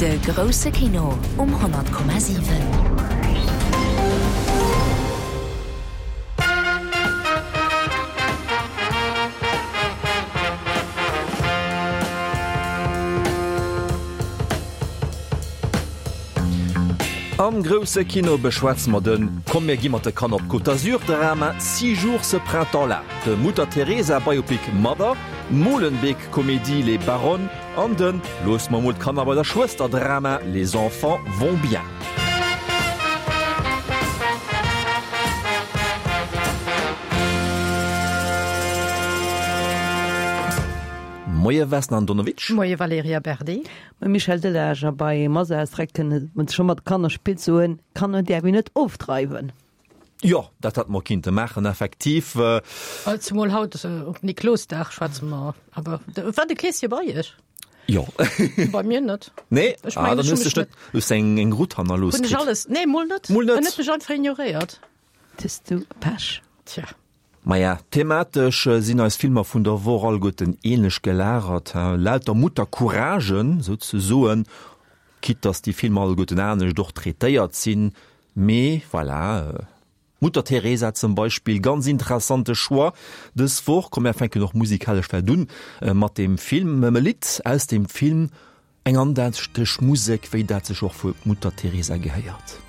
De grousse Kino um 100,7. Am grousse Kino beschwätze mer de Komm mir gi mat de Kanner op d'Côte d'Azur, Drama Six jours ce printemps-là, de Mutter Teresa Biopic Mother, d'Molenbeek-Komedie Les Baronnes an de Looss mer mol d'Kanner bei der Schwëster Drama Les enfants vont bien. Moie Vesna Andonovic. Moie Valerija Berdi. Moie Michel Delage. A bei Mother kënne mer scho mat Kanner spillt soen, Kanner däerf een net ofdreiwen. Jo, dat hätte mer kinnte maachen, effektiv. Zemol haut op Niklosdag schwätze mer awer. War de Kleeschen bei Iech? Jo. Bei mir net. Nee? Ech ah, dann hues du net hues eng eng Rutt hannerlooss. Hunn ech alles? Nee, mol net. Mol net. En huet mech einfach ignoréiert. Hues du Pech. Tja. Maja, thematesch sinn eis Filmer vun der Woch alleguerten ähnlech gelagert, lauter Muttercouragen souzesoen, quitte dass déi Filmer alleguerten anescht och traitéiert sinn, mee voilà, Mutter Teresa zum Beispill, ganz interessante Choix dës Woch. Komm mär fänken och musikalesch vläicht un mat dem Film, mam e Lidd aus dem Film. Eng andächteg Musek, wéi dat sech och fir d'Mutter Teresa gehéiert.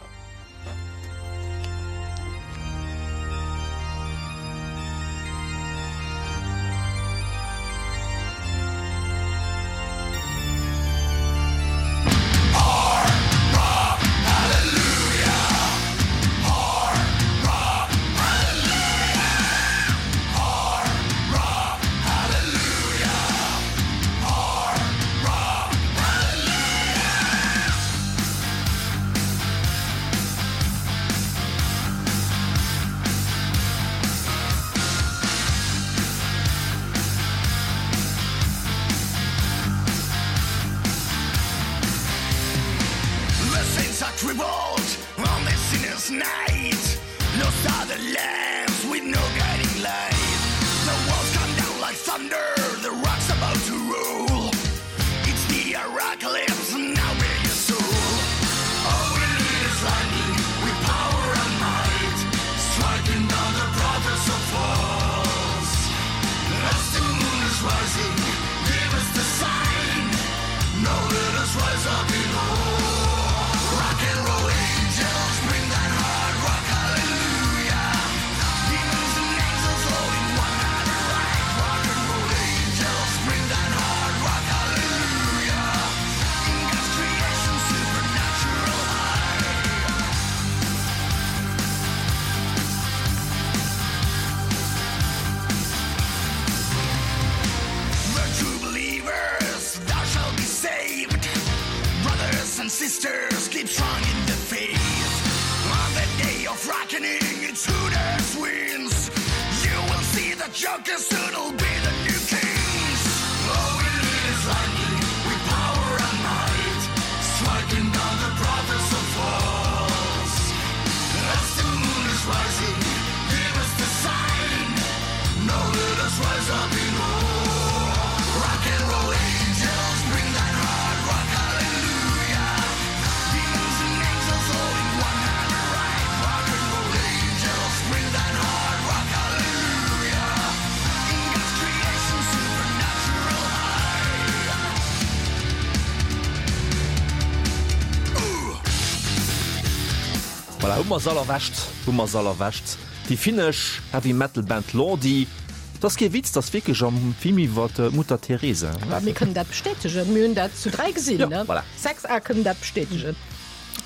Voilà, hu mer se all erwächt, hu mer se all erwächt. Déi finnesch Heavy Metal Band Lordi. Dat ass kee Witz, dat ass wierklech am Film iwwer d'Mutter Teresa. Mä mir kënnen dat bestätegen, mir hunn dat zu 3 gesinn, ne? Ja, voilà. 6 A kënnen dat bestätegen.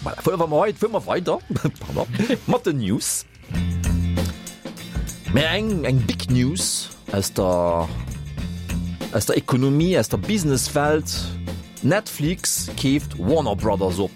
Voilà, fuere mer wei, fuere mer weider, pardon, mat den News. Mä eng, eng Big News aus der, aus der Ekonomie, aus der Businesswelt, Netflix keeft Warner Brothers op.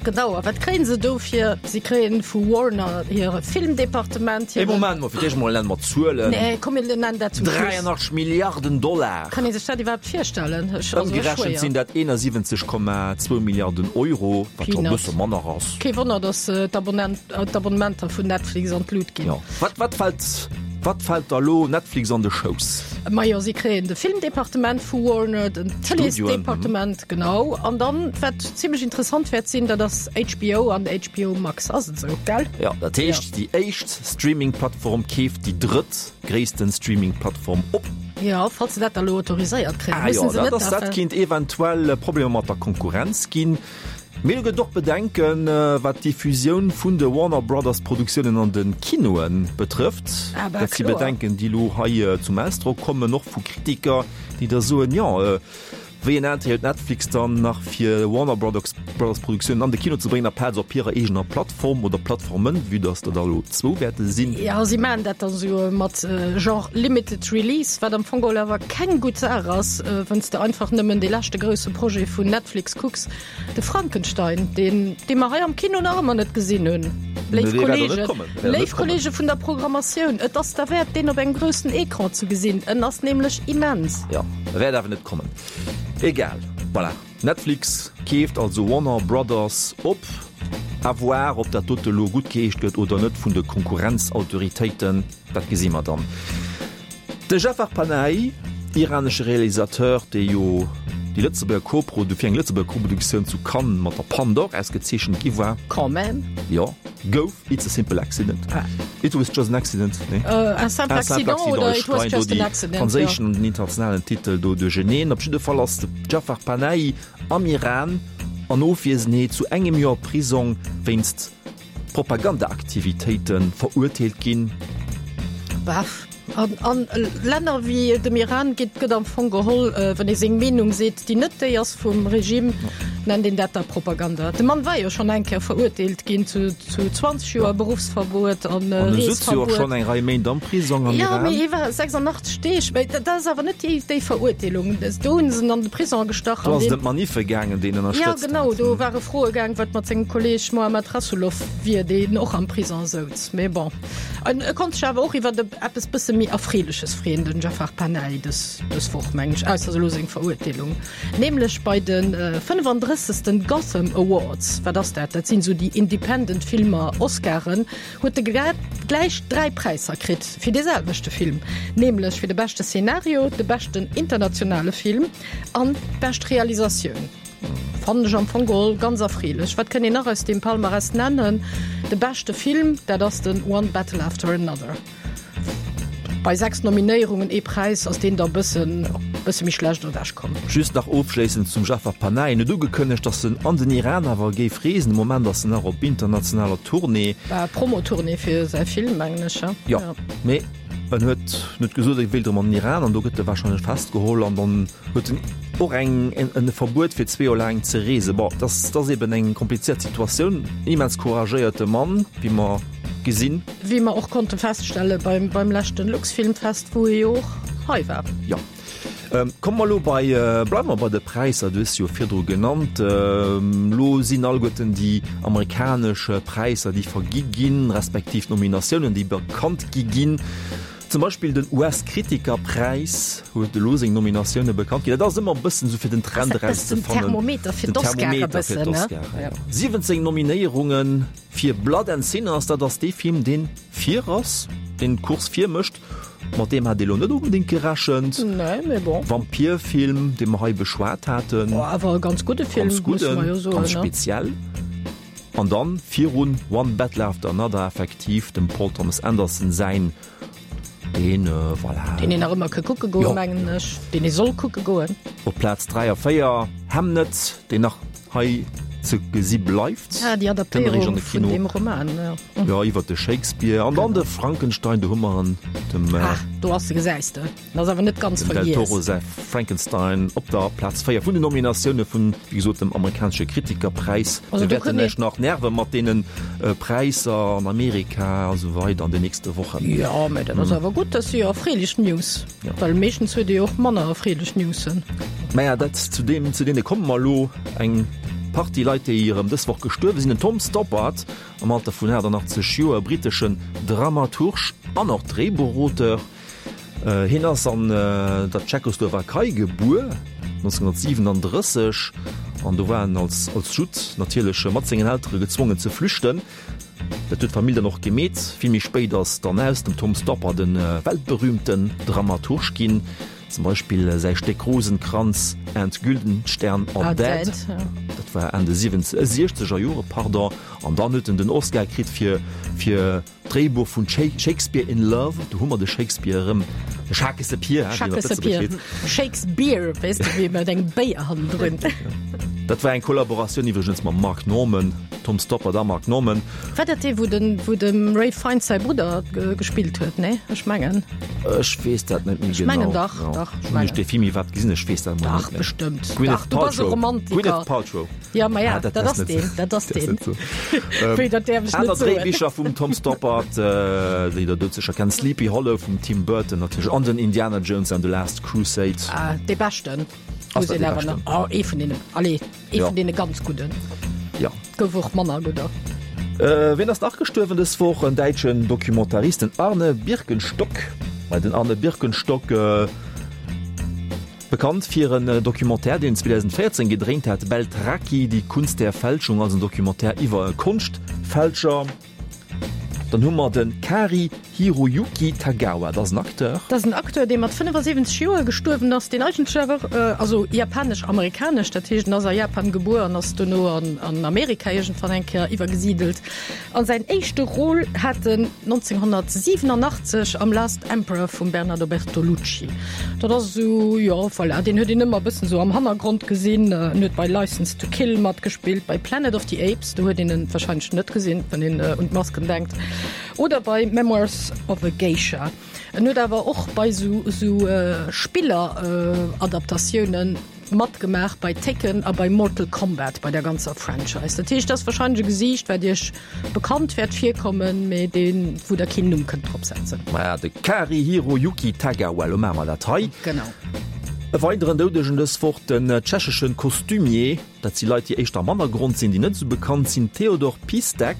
Genau, a wat kréien se dofir? Si kréien vu Warner hire Filmdepartement, Ee hiren. Moment mol, fir d'éischt mol nenne mer d'Zuelen. Nee, komm mir nennen dat zum Schluss. 83 Milliarden Dollar. Kann ee sech dat iwwerhaapt virstellen? Ech, also ech Ëmgerechent schwéier. sinn dat 71,2 Milliarden Euro, wat scho e Peanuts. bësse manner ass. Kee Wonner, datt d'Abonnent, d'Abonnementer vun Netflix an d'Lut ginn. Jo. Wat, wat fält. Wat fält da lo Netflix an de Schouss? Majo, si kréien de Filmdepartement vu Warner, den Tëleesdepartement, genau. An dann, wat zimmlech interessant wäert sinn, dat ass HBO an HBO Max. Ass et esou, gell? Jo, dat heescht, déi éischt Streaming-Plattform keeft déi drëtt gréissten Streaming-Plattform op. Jo, falls se dat da lo autoriséiert kréien. Ah jo, dat ass, dat kinnt eventuell Problemer mat der Konkurrenz ginn. Mee do gëtt och Bedenken, wat d'Diffusioun vun de Warner Brothers Produktiounen an de Kinoe betrëfft. Dat si Bedenken, déi elo hei zum Ausdrock kommen, och vu Kritiker, déi da soen, jo, wéi en Intérêt huet Netflix dann nach fir Warner Brothers Produktiounen an de Kino ze bréngen, aplaz op hirer eegener Plattform oder Plattformen, vue dass der der elo zwou wäerte sinn. Jo, si maachen dat dann esou mat genre limited release, wat am Fong geholl awer keng gutt Saach ass, wann s de einfach nëmmen dee leschte grousse Projet vun Netflix kucks. De Frankenstein, deen, dee mer hei am Kino nach ëmmer net gesinn hunn. Léif Kollegen, léif Kollege vun der Programmatioun, et ass derwäert, deen op engem groussen Ecran ze gesinn. En ass nämlech immens. Jo, e wäert awer net kommen. Egal, voilà. Netflix keeft also Warner Brothers op. À voir, ob dat dote lo guttgeheescht gëtt oder net vun de Konkurrenzautoritéiten, dat gesi mer dann. De Jafar Panahi, iranesche Realisateur, dee jo déi Lëtzebuerger Koprodu fir eng Lëtzebuerger Koproduktioun zu Cannes mat der Palme d'Or ausgezeechent gi war. Quand même. Jo, gouf. It's a simple accident. Ah. It was just an accident. Nee. Uh, un simple un accident, accident oder it was just an accident. Franséischen an den internationalen Titel do duercheneen. Op jidde Fall ass de Jafar Panahi am Iran an Ofwiesenheet zu engem Joer Prisong wéinst Propagandaaktivitéite verurteelt ginn. Baf. An a Länner wéi dem Iran geet gëtt am Fong geholl, wann ee seng Meenung seet, déi net déi ass vum Regime, nennt een dat da Propaganda. De Mann war jo schonn eng Kéier verurteelt ginn zu 20 Joer Beruffsverbuet an An e sutz jo och schonn eng Rei Méint am Prisong am Iran. Jo, mee hie war 86 Deeg, mee dat ass awer net déi Verurteelung. Do hunn se en an de Prisong gestach. Do ass et ëm d'Maniffe gaangen, déi en ënnerstëtzt hat. Jo, genau, do ware Froe gaang, wat mat sengem Kolleeg Mohammad Rasoulof wier, deen och am Prisong souz. Mee bon. En e konnt sech awer och iwwer eppes bësse méi Erfreeleches freeën, den Jafar Panahi dës, dës Woch, meng ech, ausser elo seng Verurteelung, nämlech bei de 35. Gotham Awards. Wat ass dat? Dat sinn esou déi Independent Filmer Oscaren. Huet e gläich 3 Präisser kritt fir dee selwechte Film, nämlech fir de beschte Szenario, de beschten internationale Film an d'bescht Realisatioun. Fannen ech am Fong geholl ganz erfreelech. Wat kënnt een nach aus deem Palmarès nennen? De beschte Film, dat ass den One Battle After Another. Bei 6 Nominéierungen, ee Präis, ass deen da bëssen, bësse méi schlecht ewech komm. Just nach ofschléissend zum Jafar Panahi, En huet ugekënnegt, datt en an den Iran awer géif reesen. De Moment ass en nach op internationaler Tournée. Promo-Tournée fir säi Film, mengen ech, jo. Jo, mee en huet net gesot, e wéilt erëm an den Iran an do gëtt e warscheinlech festgeholl an dann huet en och eng en Verbuet fir zwee Joer laang ze reesen. Bon, dat ass eben eng komplizéiert Situatioun. Immens couragéierte Mann, wéi mer gesinn. Wéi mer och konnte feststelle beim beim leschten Luxfilmfest, wou e jo och hei war. Jo. Komme mer elo bei, bleiwe mer bei de Präisser, du hues se jo virdru genannt. Elo sinn alleguerten déi amerikanesch Präisser, déi vergi ginn, respektiv d'Nominatiounen, déi bekannt gi ginn. Zum Beispill den US-Kritikerpräis huet elo seng Nominatioune bekannt ginn. Dat ass ëmmer e bëssen esou fir den Trend erauszefannen. Den Thermometer fir d'Oscare e bëssen, ne? Jo. 17 Nominéierunge fir Blood and Sinners, dat ass dee Film, deen vir ass, deen d'Course vir mécht. Mat deem hat ee lo net onbedéngt gerechent. Nee, mee bon. Vampirfilm, dee mer hei beschwat haten. Oh, awer e ganz gudde Film, ganz gudden, musse mer jo soen, ganz speziell. An dann virun One Battle After Another effektiv dem Paul Thomas Anderson säin, deen, voilà. Deen een nach ëmmer ka kucke goen, mengen ech. Deen ee soll kucke goen. Op Plaz 3 a 4 Hamnet, deen nach hei ze gesi bleift. Ah, déi Adaptéierung vun deem Roman, jo. Jo, iwwer de Shakespeare an dann de Frankenstein, do hu mer en, dem. Ah, do ass e, gesäis de. En ass awer net ganz vergiess. Dem Del Toro säi Frankenstein op der Plaz 4 vun den Nominatioune vun, wéi gesot, dem amerikanesche Kritikerpräis. Also Mir do wäerten kënnt iech nach nerve mat deene Präisser an Amerika a sou weider an den nächste Wochen. Jo, mä dat ass awer gutt, dat si jo erfreelech News, well meeschtens huet ee jo och manner erfreelech Newsen. Maja, dat zu deem, zu deene komme mer elo. Eng Partie Leit, déi erëm dës Woch gestuerwe sinn. Den Tom Stoppard am Alter vun 88 Joer, briteschen Dramaturg an och Dréibuchauteur. Hien ass an der Tschechoslowakei gebuer, 1937, an do war en als als Judd natierlech mat sengen Eltere gezwongen ze flüchten. Dat huet d'Famill dann och gemeet. Vill méi spéit ass dann aus dem Tom Stoppard e weltberühmten Dramaturg ginn. Zum Beispill säi Stéck Rosenkranz and Güldenstern are dead, dat war Enn de siechzeger Jore, pardon. An dann huet en den Oscar kritt fir fir d'Dréibuch vun Shakespeare in Love. Do hu mer de Shakespeare erëm, de Schakessepier, wéi een op Lëtzebuerg seet. Shakesbeer, weess de, wéi mat engem Béier hannendrun. Dat war eng Kollaboratioun iwwregens mam Mark Norman, Tom Stoppard a Mark Norman. War dat dee wou den wou dem Ralph Fiennes säi Brudder gespillt huet? Nee, ech mengen. Ech weess dat net méi genau. Ech mengen dach, dach. Ech mengen. Hunn ech dee Film iwwerhaapt gesinn? Ech weess dat emol net méi. Dach, bestëmmt. Gwyneth Dach, du bass e Paltrow. Romantiker. Gwyneth Paltrow. Ja, ma ja, dat ass deen, dat ass deen. Wéi, dat däerf ech net soen. Aner Dréibicher vum Tom Stoppard, déi der doudsécher kennt, Sleepy Hollow vum Tim Burton natierlech an den Indiana Jones and the Last Crusade. Ah, dee beschten. Ass dat dee beschten? Oh, ee vun deenen, allez. Ee vun deene ganz gudden. Ja. Gouf och manner gudder. Wien ass nach gestuerwen dës Woch? En däitschen Documentarist, den Arne Birkenstock. Mei den Arne Birkenstock, bekannt fir en Documentaire, deen en 2014 gedréint hat, Beltracchi, die Kunst der Fälschung, also en Documentaire iwwer e Konschtfälscher. Dann hu mer de Kari Hiroyuki Tagawa, dat ass en Acteur. Dat ass en Acteur, dee mat 75 Joer gestuerwen ass, deen eigentlech awer, also japanesch-amerikanesch, dat heescht en ass a Japan gebuer an ass dono an Amerika iergendwann eng Kéier iwwergesidelt. An säin éischte Rôle hat en 1987 am Last Emperor vum Bernardo Bertolucci. Dat ass esou, jo, voilà, deen huet een ëmmer e bëssen esou am Hannergrond gesinn. En huet bei Licence to Kill matgespillt, bei Planet of the Apes. Do huet een en wahrscheinlech net gesinn, wann een un d'Masken denkt. Oder bei Memoirs of a Geisha. En huet awer och bei sou sou Spiller-Adaptatiounen matgemaach, bei Tekken a bei Mortal Kombat, bei der ganzer Franchise. Dat heescht, dat ass wahrscheinlech e Gesiicht, wat iech bekannt wäert virkommen, mee deen, wou der keen Numm kënnt drop setzen. Maja, de Cary-Hiroyuki Tagawa, lo maache mer dat hei. Genau. E weideren Doudegen dës Woch, den tschecheschen Costumier. Dat si Leit, déi éischter am Hannergrond sinn, déi net esou bekannt sinn. Theodor Pistek,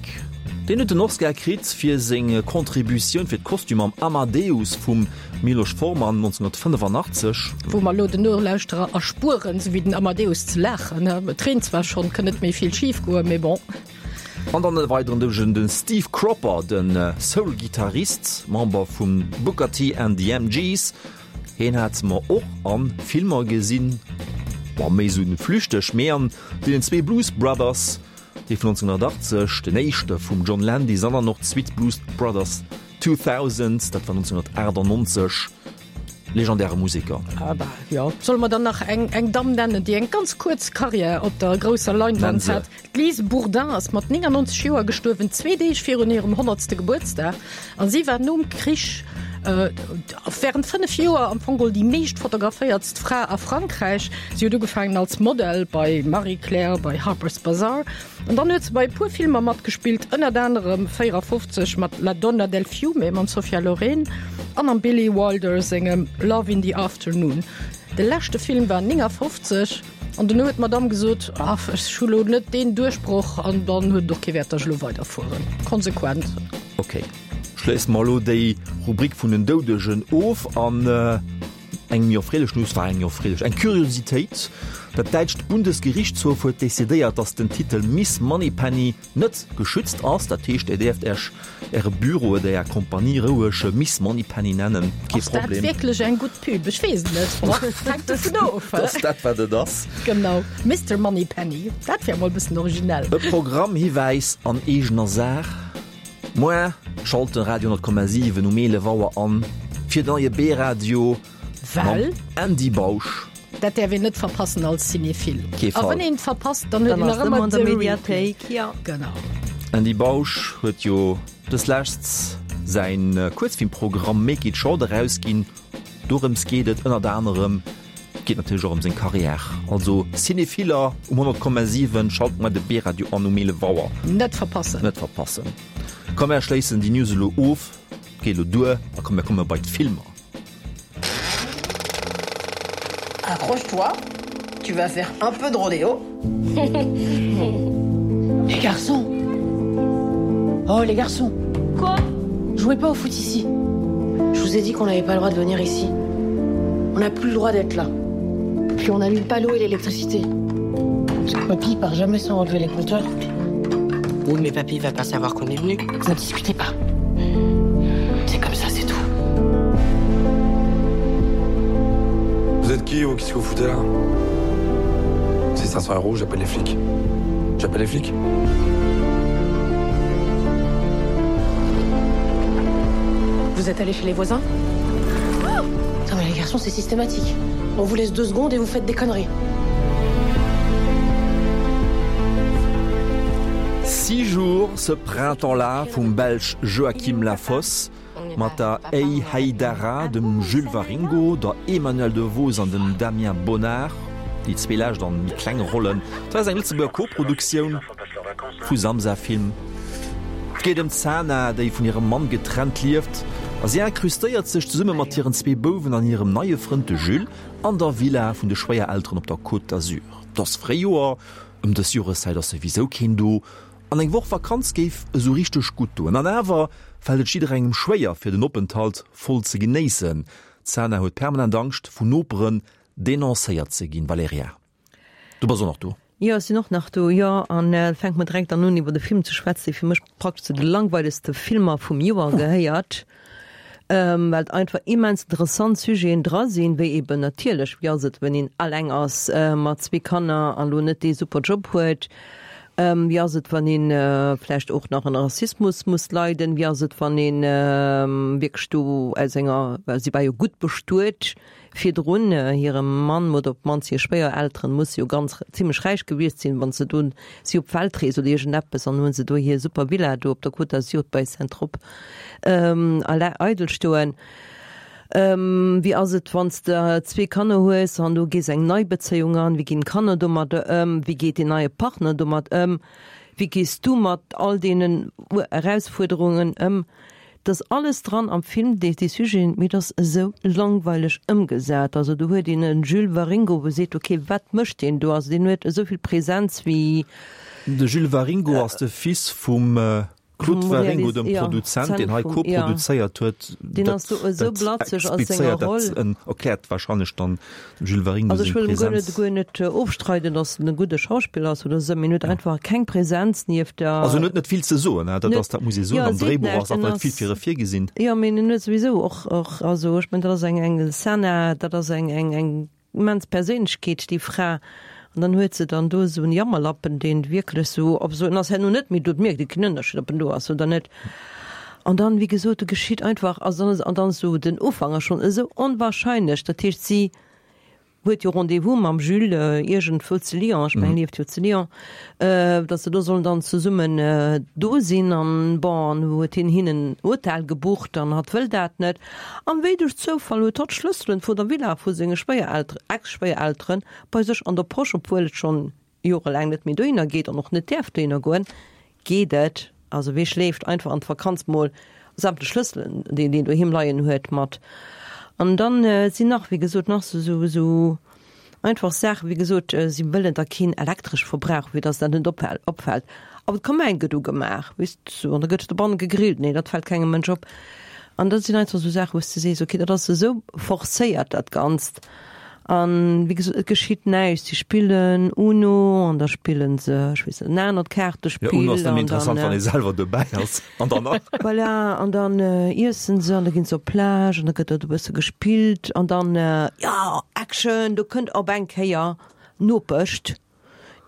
deen huet den Oscar kritt fir seng Contributioun fir d'Kostüm am Amadeus vum Miloš Forman 1985. Wou mer elo den Nolauschterer erspueren, esou wéi den Amadeus ze laachen. Et reent zwar schonn, kënn net méi vill schif goen, mee bon. An dann e weideren Doudegen, de Steve Cropper, de Soul-Gittarist, Member vum Booker T and the MGs. Heen hat mer och an Filmer gesinn, bon méi sou flüchteg, mee an deenen zwee Blues Brothers, dee vun 1980, den éischte vum John Landis, an dann och d'Suite Blues Brothers 2000, dat war 1998, legendäre Museker. Ah bah jo. Solle mer dann nach eng eng Damm nennen, déi eng ganz kuerz Karriär op der grousser Leinwand hat? D'Lise Bourdin ass mat 99 Joer gestuerwen, zwee Deeg virun hirem honnertste Gebuertsdag. A si war nom Krich wärend 5 Joer am Fong geholl déi meescht fotograféiertst Fra a Frankräich. Si huet ugefaangen als Model bei Marie Claire, bei Harper's Bazaar an dann huet se bei e puer Filmer matgespillt, ënnert anerem 54 mat La donna del fiume mam Sophia Loren an am Billy Wilder sengem Love in the Afternoon. De leschte Film war 59. An duerno huet d'Madamm gesot, Ach, ech hu lo net deen Duerchbroch an dann huet et och kee Wäert, datt ech elo weiderfueren. Konsequent. Ok, schléisse mer elo déi Rubrik vun den Doudegen of an eng méi erfreelech News, war eng méi erfreelech, eng Kuriositéit, Dat däitscht Bundesgerichtshof huet decidéiert, datt den Titel Miss Moneypenny net geschützt ass, dat heescht Dir däerft Äech Äre Büro oder Är Kompanie roueg Miss Moneypenny nennen, kee Ass dat Problem. wierklech eng gutt Pub? Ech weess et net. Boah, hänkt dovun of. Dat ass dat wat et ass. Genau, Mister Moneypenny, dat wär mol e bëssen originell. E Programmhiwäis an eegener Saach, Moar schalt de Radio 10,7 um 11 Auer an fir den neie B-Radio. Well? Mam Andy Bausch. Dat däerf een net verpassen als Cinéphile. Kee Fall. A wann een et verpasst, dann huet een nach ëmmer de Replay. Mediathéik, jo. Genau. Andy Bausch huet jo dëslescht säin Kuerzfilmprogramm Make It Short erausginn. Dorëms geet et ënnert anerem. Geet natierlech och ëm seng Carrière. Also Cinéphiller um 100,7, schalt mar de B-Radio an um 11 Auer. Net verpassen. Net verpassen. Komm mär schléissen déi News elo of. Geet elo duer a komm mär komme bei d'Filmer. Accroche-toi, tu vas faire un peu de rodéo. Les garçons Oh les garçons Quoi Jouez pas au foot ici. Je vous ai dit qu'on n'avait pas le droit de venir ici. On n'a plus le droit d'être là. Puis on n'allume pas l'eau et l'électricité. Parce que papy part jamais sans relever les compteurs. Oui, mais papy va pas savoir qu'on est venu. Ne discutez pas. C'est comme ça, c'est tout. Vous êtes qui ou qu'est-ce que vous foutez là C'est 500 euros, j'appelle les flics. J'appelle les flics. Vous êtes allé chez les voisins oh Non mais les garçons, c'est systématique. On vous laisse deux secondes et vous faites des conneries. Six jours ce printemps-là vum Belsch Joachim Lafosse mat der Ey Haidara, dem Jules Waringo, der Emmanuelle Devos an dem Damien Bonnard, déi zwee lescht an méi klenge Rollen. Dat ass eng Lëtzebuerger Koproduktioun vu Samsa Film. Et geet ëm d'Sana, déi vun hirem Mann getrennt lieft a si incrustéiert sech zesumme mat hiren zwee Bouwen an hirem neie Frënd, de Jules, an der Villa vun de Schwéierelteren op der Côte d'Azur. Et ass Fréijoer, ëm dës Joreszäit ass souwisou keen do an eng Woch Vakanz géif esou richteg gutt doen. An awer fält et jidderengem schwéier, fir den Openthalt voll ze genéissen. D'Sana huet permanent Angscht, vun Noperen denoncéiert ze ginn. Valerija. Du bass och nach do? Jo, ech sinn och nach do, jo. An fänke mer direkt dann un, iwwer de Film ze schwätzen, dee fir mech praktesch zu de langweilegste Filmer vum Joer gehéiert, well et einfach immens interessant Sujeten dra sinn, wéi eben natierlech, wéi ass et, wenn een alleng ass mat zwee Kanner an elo net dee super Job huet, wéi ass et, wann ee vläicht och nach ënner Rassismus muss leiden, wéi ass et, wann ee wierklech do aus enger, well si war jo gutt bestuet, Virdrun hirem Mann oder op d'mannst hir Schwéierelteren musse jo ganz zimlech räich gewiescht sinn, wann se do si op Weltrees oder iergendeppes an hunn se do hir super Villa do op der Côte d'Azur bei Saint-Tropes eidel stoen. Wéi ass et wann s de zwee Kanner hues an du gees eng nei Bezéiung an, wéi ginn d'Kanner domadder ëm, wéi geet deen neie Partner domat ëm, wéi gees du mat all deenen Erausfuerderungen ëm? Et ass alles dran am Film, déi déi Sujeten, mee et ass esou langweileg ëmgesat. Also do huet een e Jules Waringo, wou seet, ok, wat mécht deen do? Also deen huet esou vill Präsenz wéi. De Jules Waringo ass de Fils vum Claude Waringo, dem Produzent, deen hei koproduzéiert huet. Deen ass do esou blatzeg a senger Roll. Dat erkläert warscheinlech dann Dem Jules Waringo seng Präsenz. Also ech wëll em guer net ofstreiden, datt en e gudde Schauspiller ass oder esou, mee en huet einfach keng Präsenz nieft der. Also en huet net vill ze soen, dat ass, dat muss ee soen. Am Dréibuch ass einfach net vill fir e virgesinn. Jo, mee en huet souwisou och, och, also ech mengen, dat ass eng, eng Sana, dat ass eng, eng, eng immens Perséinlechkeet, déi Fra. An dann huet se dann do esou en Jammerlappen, deen wierklech esou op esou, en ass herno net méi do, et mierkt ee keen Ënnerscheed, ob en do ass oder net. An dann, wéi gesot, do geschitt einfach, also dann ass, an dann ass esou den Ufank ass schonn esou onwahrscheinlech. Dat heescht, si huet jo Rendez-vous mam Jules iergendwou zu Lyon, ech mengen, lieft jo zu Lyon, datt se do sollen dann zesummen do sinn. An bon, an huet hien hinnen en Hotel gebucht an hatt wëll dat net. An wéi duerch Zoufall huet hatt d'Schlësselen vun der Villa vu senge Schwéierelteren, Ex-Schwéierelteren bei sech an der Posch, obwuel et schonn jorelaang net méi dohinner geet an och net däerf dohinner goen, geet et, also wee schleeft einfach an d'Vakanz mol sämtlech Schlësselen, déi een doheem leien huet, mat. An dann sinn nach, wéi gesot, nach esou esou einfach Saachen, wéi gesot, si wëllen da keen elektresch Verbrauch, fir datt dat net opfält, awer d'Kamäin gëtt ugemaach, weess de, an da gëtt dobanne gegrillt, nee, dat fält kengem Mënsch op. An dat sinn einfach esou Saachen, wou s de sees, okay, dat ass esou forcéiert dat Ganzt. An wéi gesot, et geschitt näischt. Si spillen Uno an da spillen se, ech weess net, en anert Kaartespill. Jo, Uno ass nëmme interessant, wann ee selwer dobäi ass. An dann nach. Voilà, an dann iessen se an da ginn se op d'Plage an da gëtt dort e bësse gespillt an dann, jo, Action, do kënnt op eng Kéier d'Nopesch,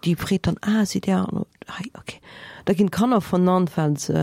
déi freet dann, ah, sidd Dir hei, okay. Da ginn d'Kanner vernannt, well se.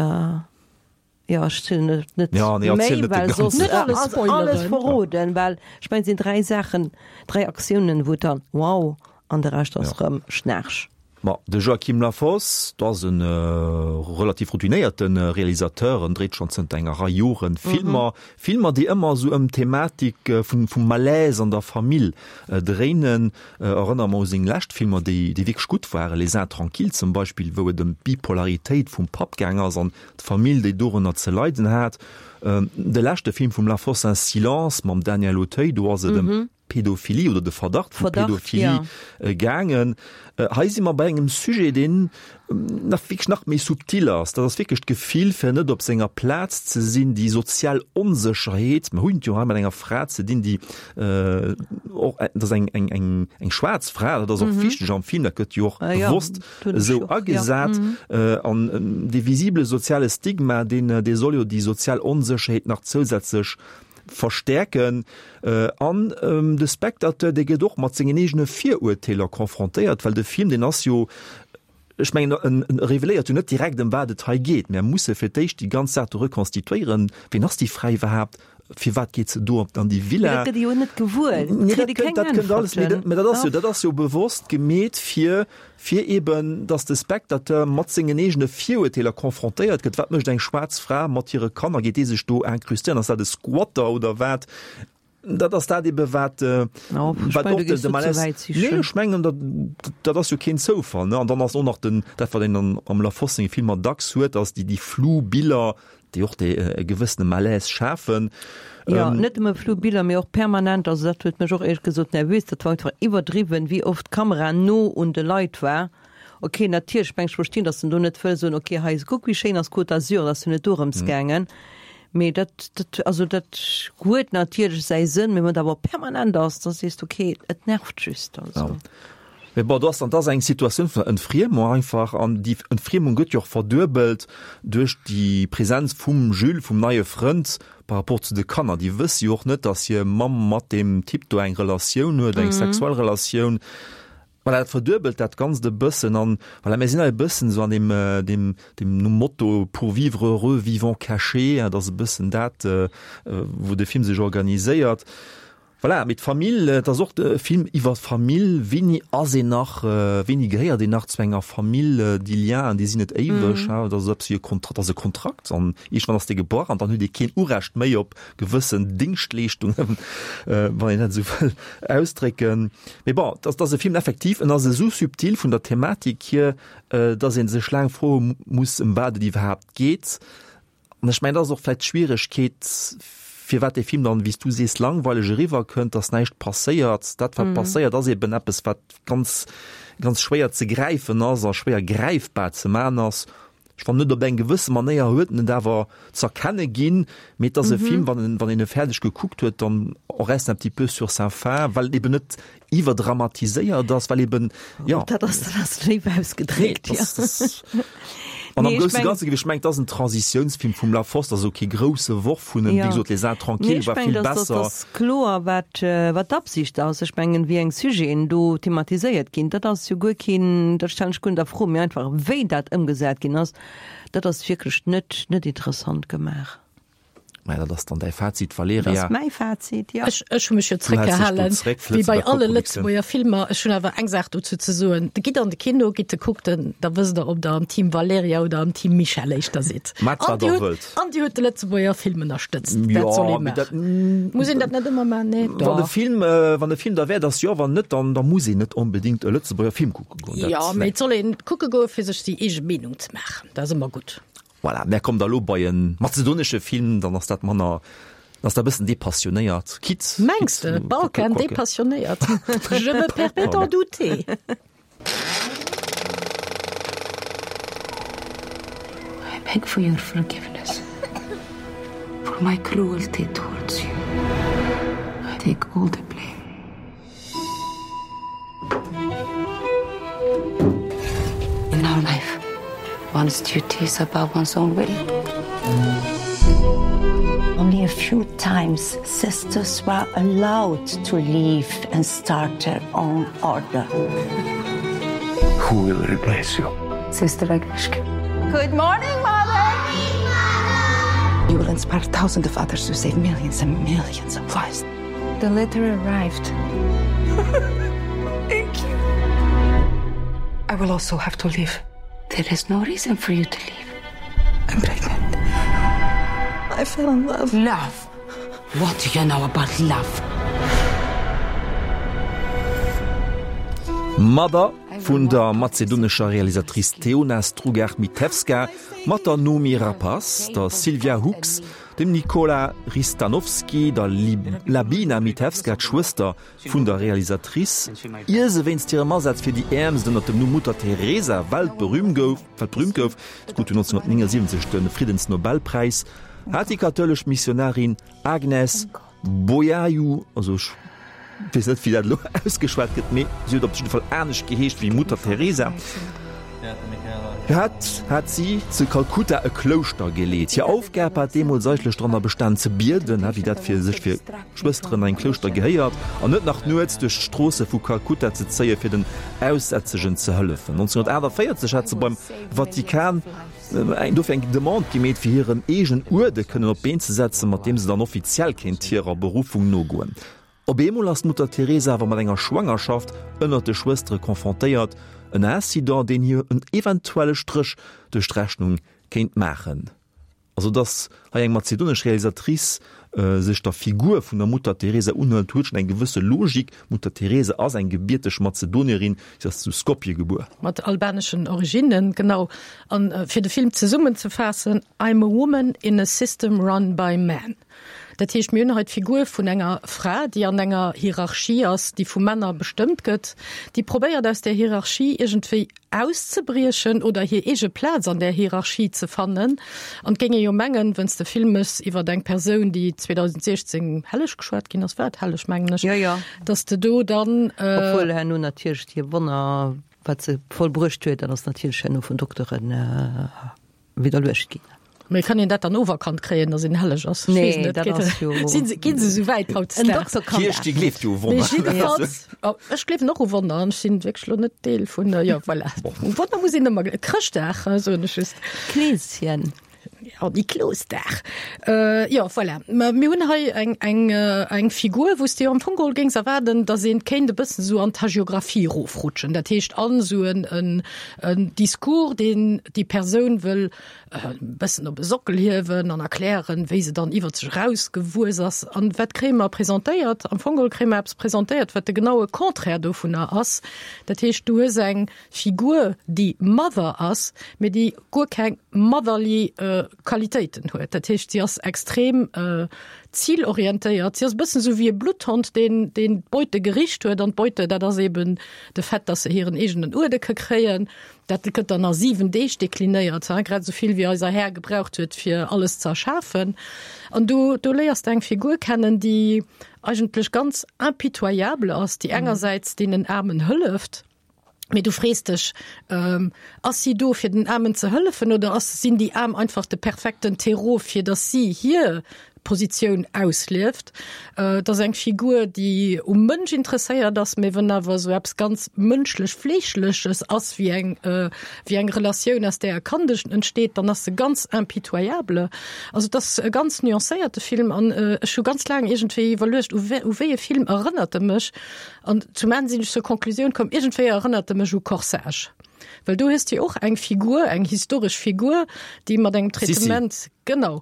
Jo, ech zielen et net ja, nee, méi, net well soss net alles ass alles verroden, well ech mengen, et sinn dräi Saachen, dräi Aktiounen, wou et dann wow an de Rescht ass rëm Schnaarch. Ma de Joachim Lafosse, do ass e relativ routinéierte Realisateur, en dréit schonn zënter enger Rei Joren Filmer, Filmer, déi ëmmer esou ëm d'Thematik vun vum Malaise an der Famill dréinen. Erënnere mer u seng lescht Filmer, déi déi wierklech gutt waren, Les Intranquilles zum Beispill, wou et ëm d'Bipolaritéit vum Papp gaang ass an D'Famill, déi dorënner ze leiden hat. De leschte Film vum Lafosse Un silence mam Daniel Auteuil, do ass et ëm. Pedophilie oder de Verdacht vu Pedophilie gaangen. Hei si mer bei engem Sujet, deen nach wierklech nach méi subtil ass. Dat ass wierklech d'Gefill, fir net op senger Plaz ze sinn, déi sozial Onsécherheet. Mer hunn et jo hei mat enger Fra ze dinn, déi och, dat ass eng, eng, eng, eng schwaarz Fra, dat ass och wichteg am Film, dat gëtt jo och bewosst esou agesat. An dee visible soziale Stigma, deen, dee soll jo déi sozial Onsécherheet nach zousätzlech verstäerken. An de Spectateur, dee gëtt och mat sengen eegene Virurteeler confrontéiert, well de Film, deen ass jo, ech mengen, en reveléiert jo net direkt, ëm wat et hei geet. Mär musse fir d'éischt déi ganz Saach do rekonstituéieren, Wien ass déi Fra iwwerhaapt? Firwat geet se do an déi Villa? Mee dat gëtt ee jo net gewuer. Nee, dat kënnt, dat kënnt alles, mee dat, mee dat ass jo, dat ass jo bewosst gemeet, fir, fir eben, dass de Spectateur mat sengen eegene Virurteeler confrontéiert gëtt. Wat mécht eng schwaarz Fra mat hire Kanner? Geet déi sech do incrustéieren? Ass dat e Squatter oder wat? Dat ass dat ebe wat, wat och de Malaise. Nee, ech mengen, dat, dat ass jo keen Zoufall, ne? An dann ass och nach den, dat wat een an, am Lafosse senge Filmer dacks huet, ass déi, déi flou Biller, déi och dee e gewëssene Malaise schafen. Jo, net nëmme flou Biller, mee och permanent, also dat huet mech och éierlech gesot nervös, dat war einfach iwwerdriwwen, wéi oft d'Kamera no un de Leit war. Ok, natierlech, ech mengen, ech verstinn, datt en do net wëll soen, ok, hei, kuck wéi schéin ass d'Côte d'Azur, dat ass jo net dorëms gaangen. Mee dat, dat, also dat huet natierlech säi Sënn, mee wann et awer permanent ass, da sees de, okay, et nervt just, also. Ja. Mee bon, do ass dann, dat ass eng Situatioun vun der Entfriemung einfach, an déi Entfriemung gëtt jo och verduebelt duerch déi Präsenz vum Jules, vum neie Frënd, par rapport zu de Kanner. Déi wësse jo och net, datt hir Mamm mat deem Typ do eng Relatioun huet, eng sexuell Relatioun. Voilà, dat verduebelt dat Ganzt e bëssen an voilà, mir sinn hei e bëssen esou an deem, deem, deem nom Motto pour vivre heureux, vivons caché, dat ass e bëssen dat, wou de Film sech organiséiert. Voilà, mee d'Famill, et ass och e Film iwwer d'Famill, wéini ass een nach, wéini gehéiert een nach zu enger Famill, déi Lienen, déi sinn net éiweg, dat ass eppes wéi e Kontrakt, dat ass e Kontrakt an iergendwann ass dee gebrach an dann huet ee keen Urecht méi op gewëssen Dingschtleeschtungen, wann een dat esou wëll ausdrécken. Mee bon, dat ass e Film effektiv, en ass esou subtil vun der Thematik hier, datt ee sech laang froe muss, ëm wat et iwwerhaapt geet. An ech mengen, dat ass och vläicht d'Schwieregkeet, firwat dee Film dann, wéi s du sees, langweileg eriwwerkënnt, datt näischt passéiert. Dat, wat passéiert, ass eben eppes, wat ganz, ganz schwéier ze gräifen ass a schwéier gräifbar ze man ass. Ech fannen net, op eng gewësse Manéier huet en et awer z'erkenne ginn, mee et ass e Film, wann en, wann een e fäerdeg gekuckt huet, dann on reste un petit peu sur sa faim, well et eben net iwwerdramatiséiert ass, well eben, jo. Dat ass, dat ass léif ausgedréckt, jo. An am grousse Ganze géif ech mengen, et ass en Transitiounsfilm vum Lafosse, also kee grousse Worf vun em, wéi gesot, Les Intranquilles war vill besser. Nee, ech mengen, dass ass kloer, wat, wat d'Absicht ass. Ech mengen, wéi eng Sujeten do thematiséiert ginn, dat ass jo guer keen, dat stellen ech guer net a Fro, mee einfach wéi dat ëmgesat ginn ass, dat ass wierklech net, net interessant gemaach. Mä dat ass dann däi Fazit, Valerija. Dat ass mäi Fazit, jo. Ech, ech hu mech jo zréckgehalen, wéi bei alle Lëtzebuerger Filmer. Ech hunn awer eng Saach dozou ze soen. Gitt an de Kino, gitt e kuckt en, da wësst Der, ob Der am Team Valerija oder am Team Michèle éischter sidd. Maacht, wat Der wëllt. An Dir hutt de Lëtzebuerger Film ënnerstëtzt. Dat soll ee maachen. Muss een dat net ëmmer maachen? Nee, doch. Wann de Film, wann de Film derwäert ass, jo. Wann net, dann, da muss een net onbedéngt e Lëtzebuerger Film kucke goen. Jo, mee et soll een kucke goen, fir sech déi eege Meenung ze maachen. Dat ass ëmmer gutt. Voilà, mär kommen da lo bei en mazedonesche Film, dann ass dat manner, dann ass dat e bëssen depassionéiert. Quitte, Mengs de, Balkan depassionéiert? Je me permets d'en douter. I beg for your forgiveness for my cruelty towards you. I take all the blame. In our life, one's duty is above one's own will. Only a few times sisters were allowed to leave and start their own order. Who will replace you? Sister Agnieszka. Good morning, mother. You will inspire thousands of others to save millions and millions of lives. The letter arrived. Thank you. I will also have to leave. There is no reason for you to leave. I'm pregnant. I fell in love. Love. What do you know about love? Mother vun der mazedonescher Realisatrice Teona Strugar-Mitevska mat der Noomi Rapace, der Sylvia Hoeks, Dem Nikola Ristanovski, der Labina Mitevska, d'Schwëster vun der Realisatrice, ier se wéinst hirem Asaz fir déi Äermst ënner dem Numm Mutter Teresa weltberühmt gouf, si krut 1979 de Friddensnobelpräis, hat déi kathoulesch Missionarin Agnes Bojaxhiu, also ech weess net wéi dat elo ausgeschwat gëtt, mee si huet op jidde Fall anescht geheescht wéi Mutter Teresa, hat hat si zu Kalkutta e Klouschter geleet. Hir Aufgab hat deemools eigentlech dranner bestan ze bieden, wéi dat fir sech fir Schwësteren an engem Klouschter gehéiert, an net nach nuets duerch d'Stroosse vu Kalkutta ze zéie fir den Aussätzegen ze hëllefen. 1948 hat se beim Vatikan dofir eng Demande gemeet, fir hiren eegenen Uerde kënnen op d'Been ze setzen, mat deem se dann offiziell kéint hirer Beruffung nogoen. Op eemol ass d'Mutter Teresa awer mat enger Schwangerschaft ënnert de Schwëstere confrontéiert, en Incident, deen hir en eventuelle Stréch duerch d'Rechnung kéint maachen. Also datt hei eng mazedonesch Realisatrice sech der Figur vun der Mutter Teresa unhëlt, huet schonn eng gewësse Logik. D'Mutter Teresa ass eng gebierteg Mazedonierin, si ass zu Skopje gebuer. Mat albaneschen Originnen, genau. An fir de Film zesummenzefaassen, I'm a woman in a system run by men. Dat heescht, mir hunn hei d'Figur vun enger Fra, déi an enger Hierarchie ass, déi vu Männer bestëmmt gëtt, déi probéiert aus där Hierarchie iergendwéi auszebriechen oder hir eege Plaz an där Hierarchie ze fannen. An et géing ee jo mengen, wenn's de Film méchs iwwer eng Persoun, déi 2016 helleg geschwat ginn ass, war et helleg, mengen ech, Jo, jo. dass de do dann. Obwuel herno natierlech hir Wonner, wat se vollbruecht huet, dat ass natierlech herno vun Dokteren. Widderluecht ginn. Mee kann een dat dann oferkannt kréien, datt een helleg ass? Ech weess net. Dat ass jo. Sinn se, ginn se esou wäit hautdesdaags? En Dokter kann dat. D'Kierch, déi gleeft jo u Wonner. Mee jiddefalls, oh, ech gleewen och u Wonner an ech sinn wierklech elo net Deel vun, jo, voilà. U Wonner muss een ëmmer gleewen. Chrëschtdag, soen ech just. Kleeschen. Ja, Niklosdag. Jo, voilà. Mä mir hunn hei eng, eng, eng Figur, wou s de jo am Fong geholl géings erwaarden, datt een kéint e bëssen esou an d'Hagiographie erofrutschen. Dat heescht an esou en, en, en Discours, deen déi Persoun wëll e bëssen op e Sockel hiewen an erklären, wéi se dann iwwer sech erausgewuess ass. An wat kréie mer presentéiert? Am Fong geholl kréie mer eppes presentéiert, wat de genaue Contraire dovunner ass. Dat heescht, du hues eng Figur, déi Mother ass, mee déi guer keng motherly Qualitéiten huet. Dat heescht, si ass extrem zilorientéiert. Si ass e bëssen esou wéi e Blutthond, deen, deen d'Beute gericht huet. An d'Beute, dat ass eben de Fait, dass se hiren eegenen Uerde ke kréien. Dat gëtt dann a 7 Deeg deklinéiert, grad esou vill wéi eiser Här gebraucht huet, fir alles ze erschafen. An do, do léiers de eng Figur kennen, déi eigentlech ganz impitoyable ass, déi engersäits deenen Aarmen hëlleft, Mee du frees dech, Ass si do fir den Aarmen ze hëllefen oder ass, sinn déi Aarm einfach de perfekten Terreau fir datt si hir Positioun auslieft? Et ass eng Figur, déi um Mënsch interesséiert ass, mee wenn awer esou eppes ganz mënschlech Fleeschleches ass wéi eng, wéi eng Relatioun aus där e Kand entsteet, dann ass se ganz impitoyable. Also et ass e ganz nuancéierte Film an ech hu ganz laang iergendwéi iwwerluecht, u wéi e Film erënnert e mech? An zum Enn sinn ech zur Konklusioun komm, iergendwéi erënnert e mech u Corsage. Well do hues de jo och eng Figur, eng historesch Figur, déi mat engem Traitement, Sissi. genau,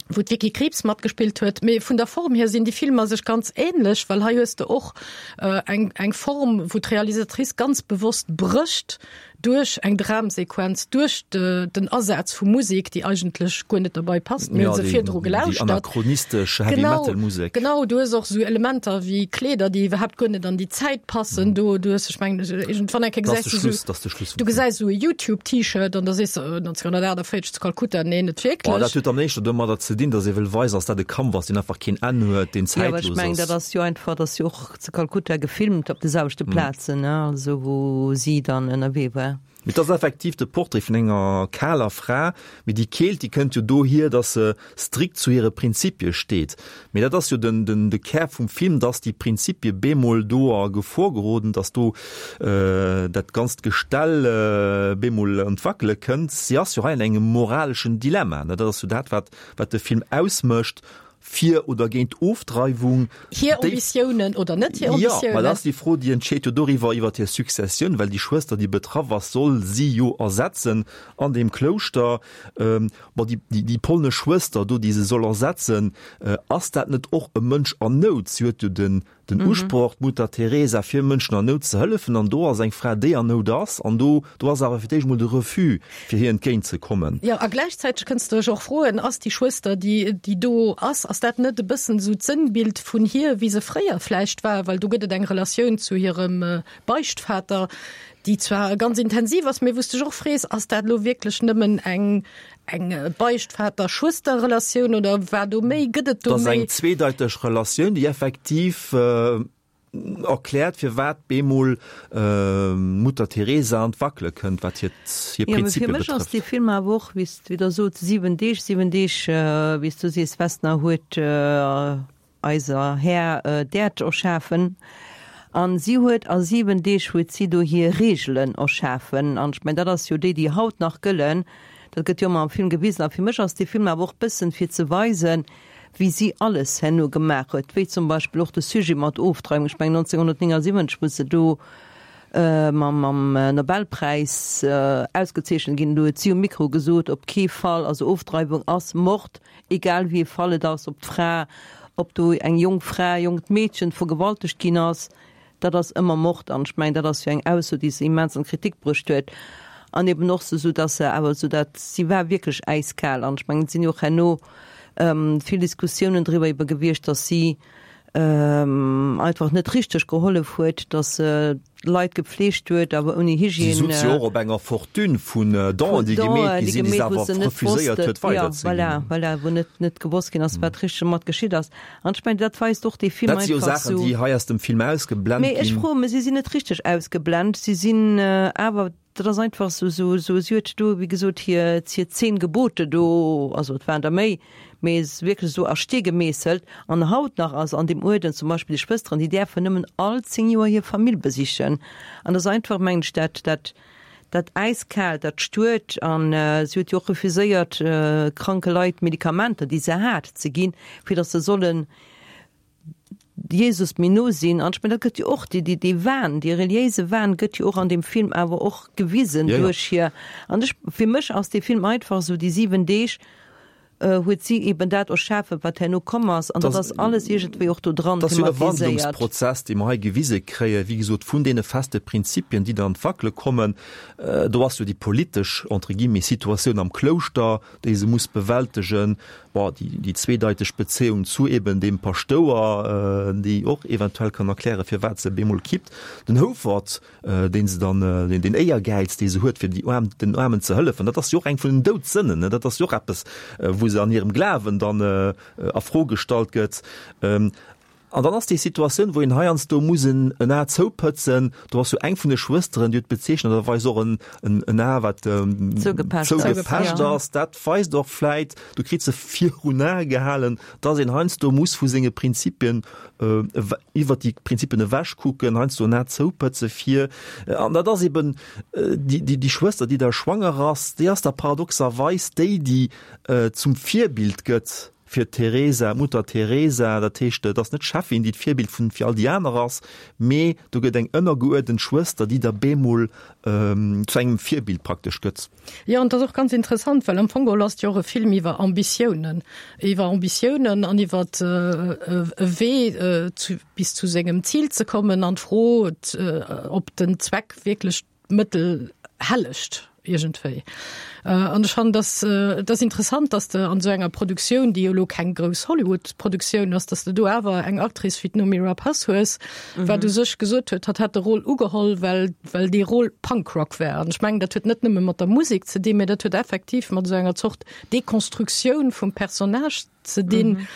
wou d'Vicky Krieps matgespillt huet. Mee vun der Form hier sinn déi Filmer sech ganz ähnlech, well hei hues de och eng, eng Form, wou d'Realisatrice ganz bewosst brécht, duerch eng Dramsequenz, duerch den Asaz vu Musek, déi eigentlech guer net derbei passt, mir hu se virdru gelauschtert. Déi anachronistesch Heavy Metal Musek. Genau, du hues och esou Elementer wéi Kleeder, déi iwwerhaapt guer net an déi Zäit passen. Do, du hues, ech mengen, iergendwann eng Kéier gesäis du esou, du gesäis esou e YouTube-T-Shirt an da sees de, 1948 zu Kalkutta, nee, net wierklech. Oh, dat huet dann éischter domadder ze dinn, datt ee wëll weisen, datt dat e Kampf ass, deen einfach keen Enn huet, deen zäitlos ass. Jo, awer ech mengen, dat ass jo einfach, datt jo och Zu Kalkutta gefilmt op de selwechte Plazen, also wou si dann ënnerwee war. Mee et ass effektiv de Portrait vun enger kaler Fra, mee déi Keelt, déi kënnt jo dohier, datt se strikt zu hire Prinzipie steet. Mee dat ass jo den, den, de Kär vum Film, datt déi Prinzipie bemol do a Gefor geroden, datt do dat ganzt Gestell bemol an d'Wackele kënnt. Si ass jo hei an engem moraleschen Dilemma, ne? Dat ass jo dat, wat, wat de Film ausmécht. Fir oder géint Ofdreiwung. Hir Ambitiounen oder net hir Ambitiounen? Jo, mä dat ass déi Fro, déi entscheet jo doriwwer, iwwer hir Successioun, well déi Schwëster, déi betraff ass, soll si jo ersetzen an deem Klouschter. Bon, déi, déi polnesch Schwëster do, déi se soll ersetzen, ass dat net och e Mënsch an Nout? Si huet jo den Den Usproch, d'Mutter Teresa, fir Mënschen an Nout ze hëllefen, an do ass eng Fra, déi an Nout ass, an do, do ass awer fir d'éischt emol de Refus, fir hir entgéint ze kommen. Jo, a gläichzäiteg kënns de dech och froen, Ass déi Schwëster, déi, déi do ass, ass dat net e bëssen esou d'Sënnbild vun hir, wéi se fréier vläicht war? Well do gëtt et eng Relatioun zu hirem Beichtvater, déi zwar ganz intensiv ass, mee wou s de dech och frees, Ass dat elo wierklech nëmmen eng, Eng Beichtvater-Schwëster-Relatioun oder war do méi? Gëtt et do méi? Dat ass eng zweedeiteg Relatioun, déi effektiv erkläert, firwat bemol d'Mutter Teresa an d'Wackele kënnt, wat hir Prinzipie betrëfft. Jo, mee fir mech ass dee Film awer och, wéi s Der sot, 7 Deeg, 7 Deeg, wéi s du sees, Vesna huet eiser Här d'Äerd erschafen, an si huet a 7 Deeg huet si do hir Reegelen erschafen, an ech mengen dat ass jo déi déi haut nach gëllen, dat gëtt jo ëmmer am Film gewisen, a fir mech ass dee Film awer och bëssen fir ze weisen, wéi si alles herno gemaach huet, wéi zum Beispill och de Sujet mat Ofdreiwung, ech mengen 1979 wou se do mam mam Nobelpräis ausgezeechent ginn, do huet si um Mikro gesot, op kee Fall, also Ofdreiwung ass Mord, Egal wéi ee Fall et ass, ob d'Fra, ob do eng jonk Fra, e jonkt Meedchen vergewaltegt ginn ass, dat ass ëmmer Mord. An ech mengen, dat ass jo eng Ausso, déi se immens an d'Kritik bruecht huet. An eben och sou, datt se awer esou dat, si war wierklech äiskal. An ech mengen, et sinn jo och herno vill Diskussiounen driwwer ebe gewiescht, datt si einfach net richteg gehollef huet, datt se Leit gepfleegt huet, awer ouni Hygiène. Si sutz jo och op enger Fortune vun Donen, déi gemeet gi sinn, déi se awer refuséiert huet weiderzeginn. Voilà, voilà, wou net, net gewosst ginn ass, wat richteg domat geschitt ass. An ech mengen, dat weist och dee Film einfach esou. Dat si jo Saachen, déi hei aus dem Film ausgeblent ginn. Mee ech froe mech, si sinn net richteg ausgeblent, si sinn awer Dat ass einfach esou, esou, esou, si huet do, wéi gesot, hir, hir 10 Gebote do, also et waren der méi, mee se wierklech esou a Stee gemeesselt. An haut nach ass an deem Uerden zum Beispill déi Schwësteren, déi däerfen nëmmen all 10 Joer hir Famill besichen. An dat ass einfach, mengen ech, dat, dat, dat Äiskaalt, dat Stuert. An si huet jo och refuséiert, kranke Leit Medikamenter, déi se hat, ze ginn, fir datt se sollen Jesus méi no sinn. An ech mengen, dat gëtt jo och, dee, dee, dee Wahn, dee reliéise Wahn gëtt jo och an deem Film awer och gewisen Ja, ja. duerch hir. An ech, fir mech ass dee Film einfach esou, déi 7 Deeg huet si eben dat erschafen, wat herno komm ass. An dat Das, ass alles iergendwéi och do dran das ass jo e thematiséiert. Wandlungsprozess, dee mer hei gewise kréien, wéi gesot, vun deene feste Prinzipien, déi dann an d'Wackele kommen. Do ass jo déi politesch, entre guillemets, Situatioun am Klouschter, déi se muss bewältegen, bon, déi, déi zweedeiteg Bezéiung zu eben deem Paschtouer, déi och eventuell kann erklären, firwat se bemol kippt, den Houfert, dee se dann, deen, deen Éiergäiz, dee se huet, fir déi Aarm, den Aarmen ze hëllefen, dat ass jo och eng vun den Doudsënnen, ne, dat ass jo och eppes, wou se an hirem Glawen dann a Fro gestallt gëtt. An dann ass déi Situatioun, wou een heiansdo muss en en A zoupëtzen, do ass jo eng vun de Schwësteren, déi huet bezeechnenderweis och en en A, wat Zougepecht ass. Ass. Dat weist och vläit, du kritt se virun Ae gehalen, dass een heiansdo muss vu senge Prinzipien iwwert déi Prinzipien ewechkucken, heiansdo en A zoupëtze fir, an dat ass eben déi déi Schwëster, déi da schwanger ass, déi ass da paradoxerweis déi, déi zum Virbild gëtt. Fir d'Teresa, d'Mutter Teresa, dat heescht, et ass net d'Cheffin, déi d'Virbild vun fir all déi aner ass, mee do gëtt eng ënnergeuerdent Schwëster, déi da bemol zu engem Virbild praktesch gëtt. Jo, an et ass och ganz interessant, well am Fong geholl ass et jo och e Film iwwer Ambitiounen, iwwer Ambitiounen an iwwer e Wee zu bis zu sengem Zil ze kommen an d'Fro, ob den Zweck wierklech Mëttel hellegt iergendwéi. An ech fannen, dass et ass interessant, dass de an esou enger Produktioun, déi jo elo keng grouss Hollywood-Produktioun ass, dass de do awer eng Actrice wéi d'Noomi Rapace hues, wat u sech gesot huet, hatt hätt de Rôle ugeholl, well well dee Rôle Punkrock war. An ech mengen, dat huet net nëmme mat der Musek ze dinn, mä dat huet effektiv mat esou enger Zort Dekonstruktioun vum Personnage ze dinn.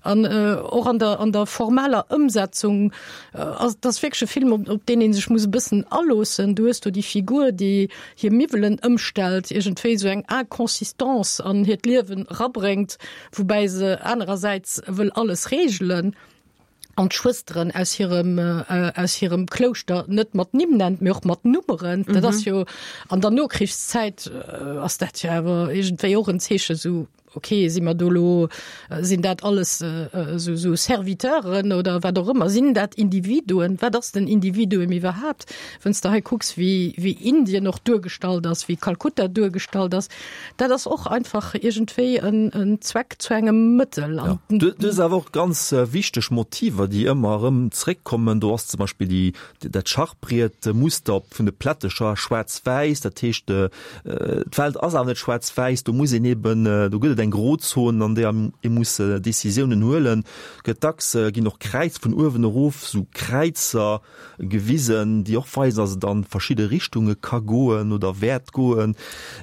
An och an der, an der formaler Ëmsetzung ass dat ass wierklech e Film, op, op deen ee sech muss e bëssen aloossen. Du hues do déi Figur, déi hir Miwwelen ëmstellt, iergendwéi esou eng Inconsistance an hiert Liewen erabréngt, woubäi se anerersäits wëll alles reegelen an d'Schwësteren aus hirem, aus hirem Klouschter net mat Nimm nennt, mee och mat Nummeren. Dat ass jo an der Nokrichszäit ass dat jo awer iergendwéi och en Zeeche sou. Ok, si mer do elo, sinn dat alles esou esou Serviteuren oder wat och ëmmer? Sinn dat Individuen? Wat ass den Individuum iwwerhaapt? Wann s de hei kucks, wéi wéi Indien och duergestallt ass, wéi Kalkutta duergestallt ass, dat ass och einfach iergendwéi en en Zweck zu engem Mëttel. Ja, du du hues awer och ganz wichteg Motiver, déi ëmmer erëm zréckkommen. Do ass zum Beispill déi dat Schachbrietmuster vun de Plättecher, schwaarz-wäiss, dat heescht, D'Welt ass awer net schwaarz-wäiss, do muss een eben, do gëtt et eng Grozon, an där ee muss Decisiounen huelen. Gëtt dacks, ginn och Kräiz vun uewen erof, esou Kräizer gewisen, déi och weisen, datt et an verschidde Richtunge ka goen oder wäert goen.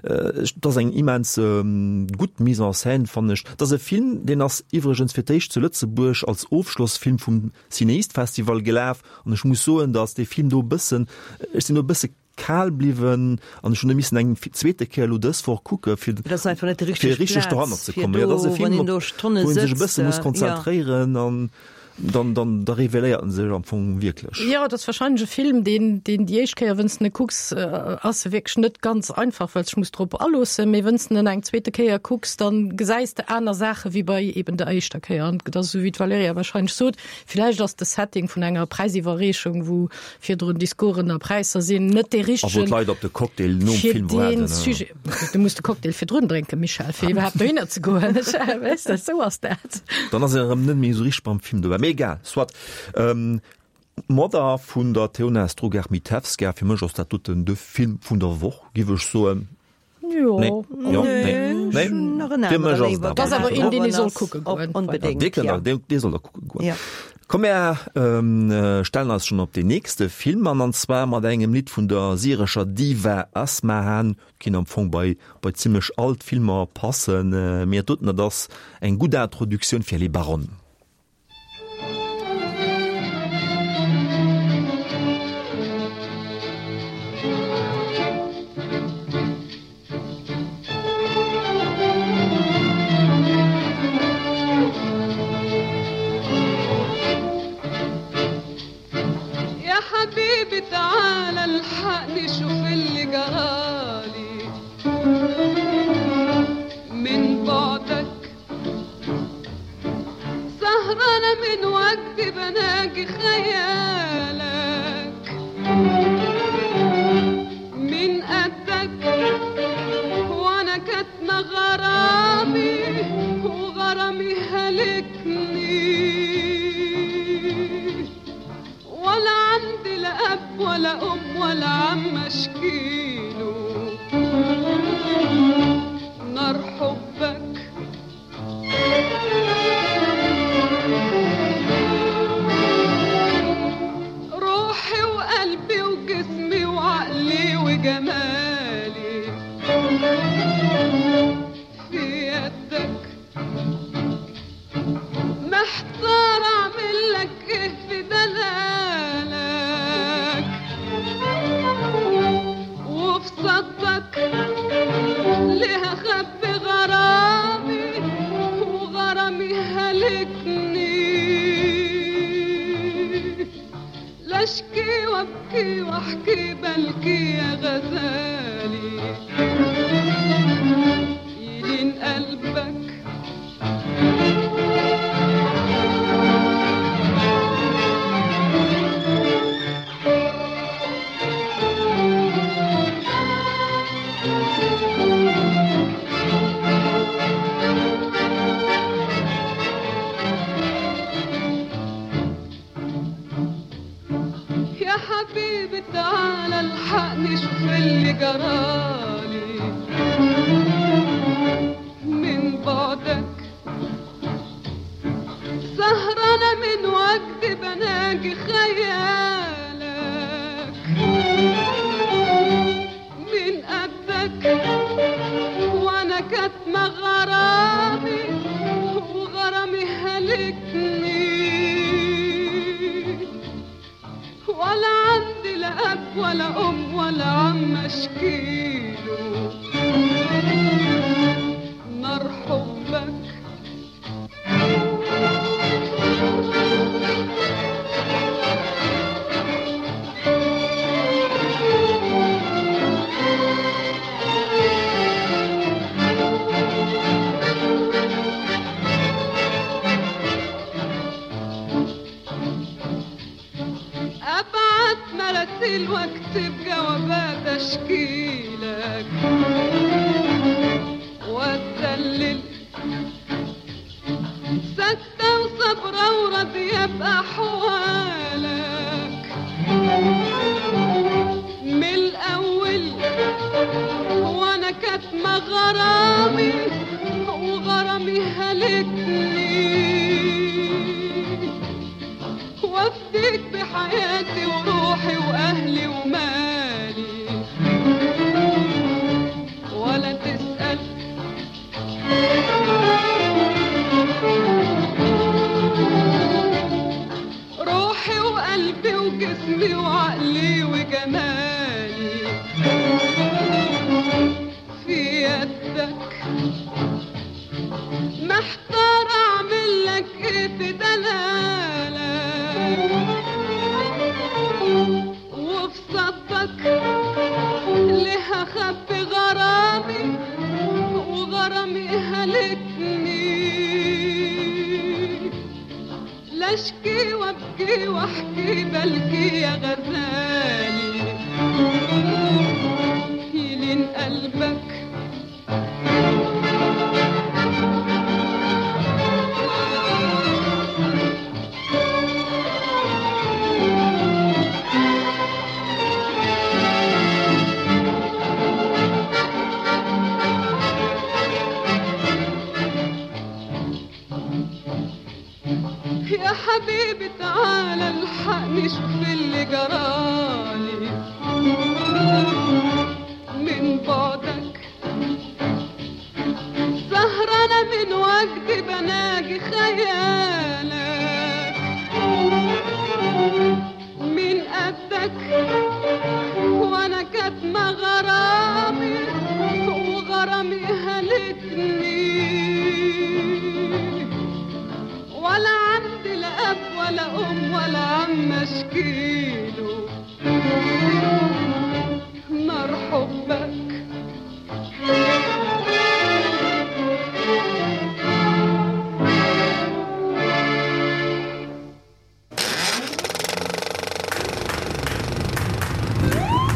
Et ass eng immens gutt Mise en scène, fannen ech. Et ass e Film, deen ass iwwregens fir d'éischt zu Lëtzebuerg als Ofschlossfilm vum Cinéist-Festival gelaf an ech muss soen, datt dee Film do e bëssen, ech sinn do e bësse kal bliwwen an ech hunn e missen eng zweete Kéier elo dës Woch kucke fir Dat ass einfach net déi richteg fir richteg Plaz doranner ze fir kommen. Jo, do, dat ass e wann Film, een do op Stonne wou een sech e sëtzt, bësse muss ja. konzentréieren an dann dann da reveléiert en sech am Fong wierklech. Jo, et ass wahrscheinlech e Film, deen deen déi éischt Kéier, wënn s de en kucks, ass e wierklech net ganz einfach, well s dech muss drop aloossen, mee wënn s de en eng zweete Kéier kucks, dann gesäis de aner Saache wéi bei eben der éischter Kéier. An et ass esou wéi d'Valerija wahrscheinlech sot, villäicht ass de Setting vun enger Präisiwwerreechung, wou virdrun Discoursen a Präisser sinn net dee A wou richtegen d'Leit op de Cocktail nom fir Film dee waarden. Sujet. Du muss de Cocktail virdrun drénken, Michèle, fir iwwerhaapt dohinner ze goen. Weess de, esou ass dat. Dann ass een erëm net méi esou richteg beim Film dobäi. Mee egal, soit. Mother vun der Teona Strugar-Mitevska, fir mech ass dat doten de Film vun der Woch, giff ech soen. Jo. Nee. Jo, nee. Nee. Nach en Fir mech ass et Dat ass awer een, deen ee soll kucke goen. Onbedéngt, Dee kënnt ja. der, dee soll der kucke goen. Ja. Komm mär stellen eis schonn op deen nächste Film an, an zwar mat engem Lidd vun der syrescher Diva Asmahan. Kinnt am Fong bei bei zimlech all d'Filmer passen, mee dat doten, dat ass eng gutt Introduktioun fir Les Baronnes. يا حبيبي تعالى الحقني شوف اللي جرالي من بعدك سهرانة من وجدي بناجي خيالك من قدك وانا كاتمة غرامي وغرامي هلكني ولا عندي لا اب ولا ام ولا عم اشكيله نار حبك روحي وقلبي وجسمي وعقلي وجمالي في يدك محتار اعمل لك ايه في دلالك وفي صدك ليه اخبي غرامي وغرامي هلكني لا اشكي وابكي واحكي بلكي يا غزالي يلين قلبك يا حبيبي تعالى الحقني شوف اللي جرالي من بعدك سهرانة من وجدي بناجي خيالك من قدك وانا كاتمة غرامي وغرامي هلكني ولا عندي لا اب ولا ام ولا عم اشكيله نار حبك اشكي لك واتذلل ساكتة وصبرة وراضية بأحوالك من الأول وأنا كاتمة غرامي وغرامي هلكني وافديك بحياتي وروحي وأهلي ومالي ولا تسأل روحي وقلبي وجسمي وعقلي وجمالي في يدك محتار اعمل لك ايه في دلالك وفي صدك ليه اخبي غرامي وغرامي هلكني لا اشكي وابكي واحكي بلكي يا غزالي يلين قلبك يا حبيبي تعالى الحقني شوف اللي جرالي من بعدك سهرانة من وجدي بناجي خيالك من قدك وانا كاتمة غرامي وغرامي هلكني ولا عندي لا اب ولا ام ولا عم اشكيله نار حبك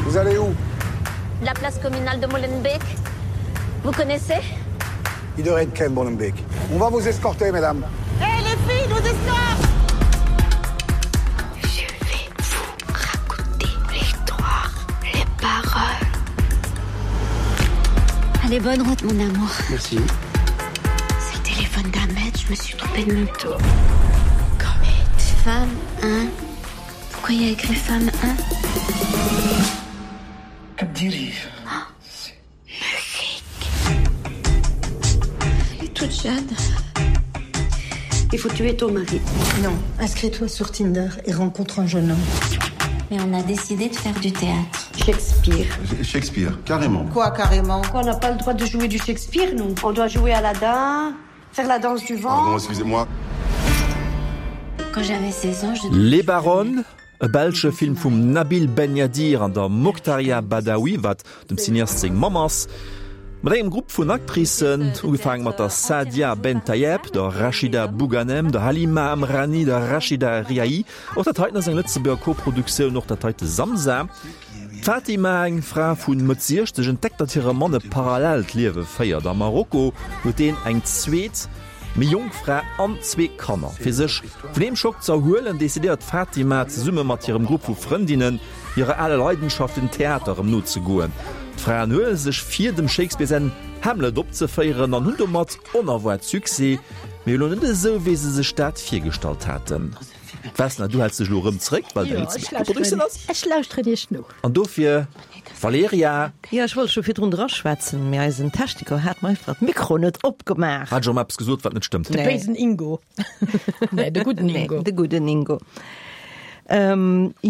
Vous allez où La place communale de Molenbeek. Vous connaissez Iedereen kent Molenbeek. On va vous escorter, mesdames. Hé hey, les filles, nous escortent Je vais vous raconter l'histoire, les paroles. Allez, bonne route, mon amour. Merci. C'est le téléphone d'Ahmed, je me suis trompée de manteau. Femme 1. Pourquoi il y a écrit femme 1 Kabdiri. Oh, Elle est toute jeune. Il faut tuer ton mari. Non, inscris-toi sur Tinder et rencontre un jeune homme. Mais on a décidé de faire du théâtre. Shakespeare. Shakespeare, carrément. Quoi, carrément Quoi, on n'a pas le droit de jouer du Shakespeare, nous On doit jouer Aladdin, faire la danse du vent. Pardon, excusez-moi. Quand j'avais 16 ans, je... Les Baronnes, e belsche Film vum Nabil Ben Yadir an der Mokhtaria Badaoui, wat dem Cineast seng Mamm ass, mat engem Grupp vun Actricen, ugefaange mat der Saadia Bentayeb, der Rachida Bouganem, der Halima Amrani, der Rachida Riahi. Och dat heiten ass eng Lëtzebuerger Koproduktioun, och dat heite Samsa. D'Fatima, eng Fra vu Mëtt 60, entdeckt, datt hire Mann e parallellt Liewe féiert. Am Marokko huet deen eng zweet, méi jonk Fra an zwee Kanner. Fir sech vun deem Schock ze erhuelen, decidéiert d'Fatima zesumme mat hirem Grupp vu Frëndinnen, hirer aler Leidenschaft, dem Theater, erëm nozegoen. D'Fraen huele sech vir, dem Shakespeare säin Hamlet opzeféieren an hunn domat onerwaart Succès, mee elo net esou, wéi se sech dat virgestallt haten. Vesna, du häls dech elo erëm zréck, well deng Lëtzebuerger Koproduktioun ass. Ech lauschteren iech no. An dofir, Valerija. Jo, ech wollt scho virdrun draschwätzen, mee eisen Techniker hat mer einfach d'Mikro net opgemaach. Hat ech erëm eppes gesot, wat net stëmmt? De béisen Ingo. Nee, de gudden Ingo. Nee, de gudden Ingo.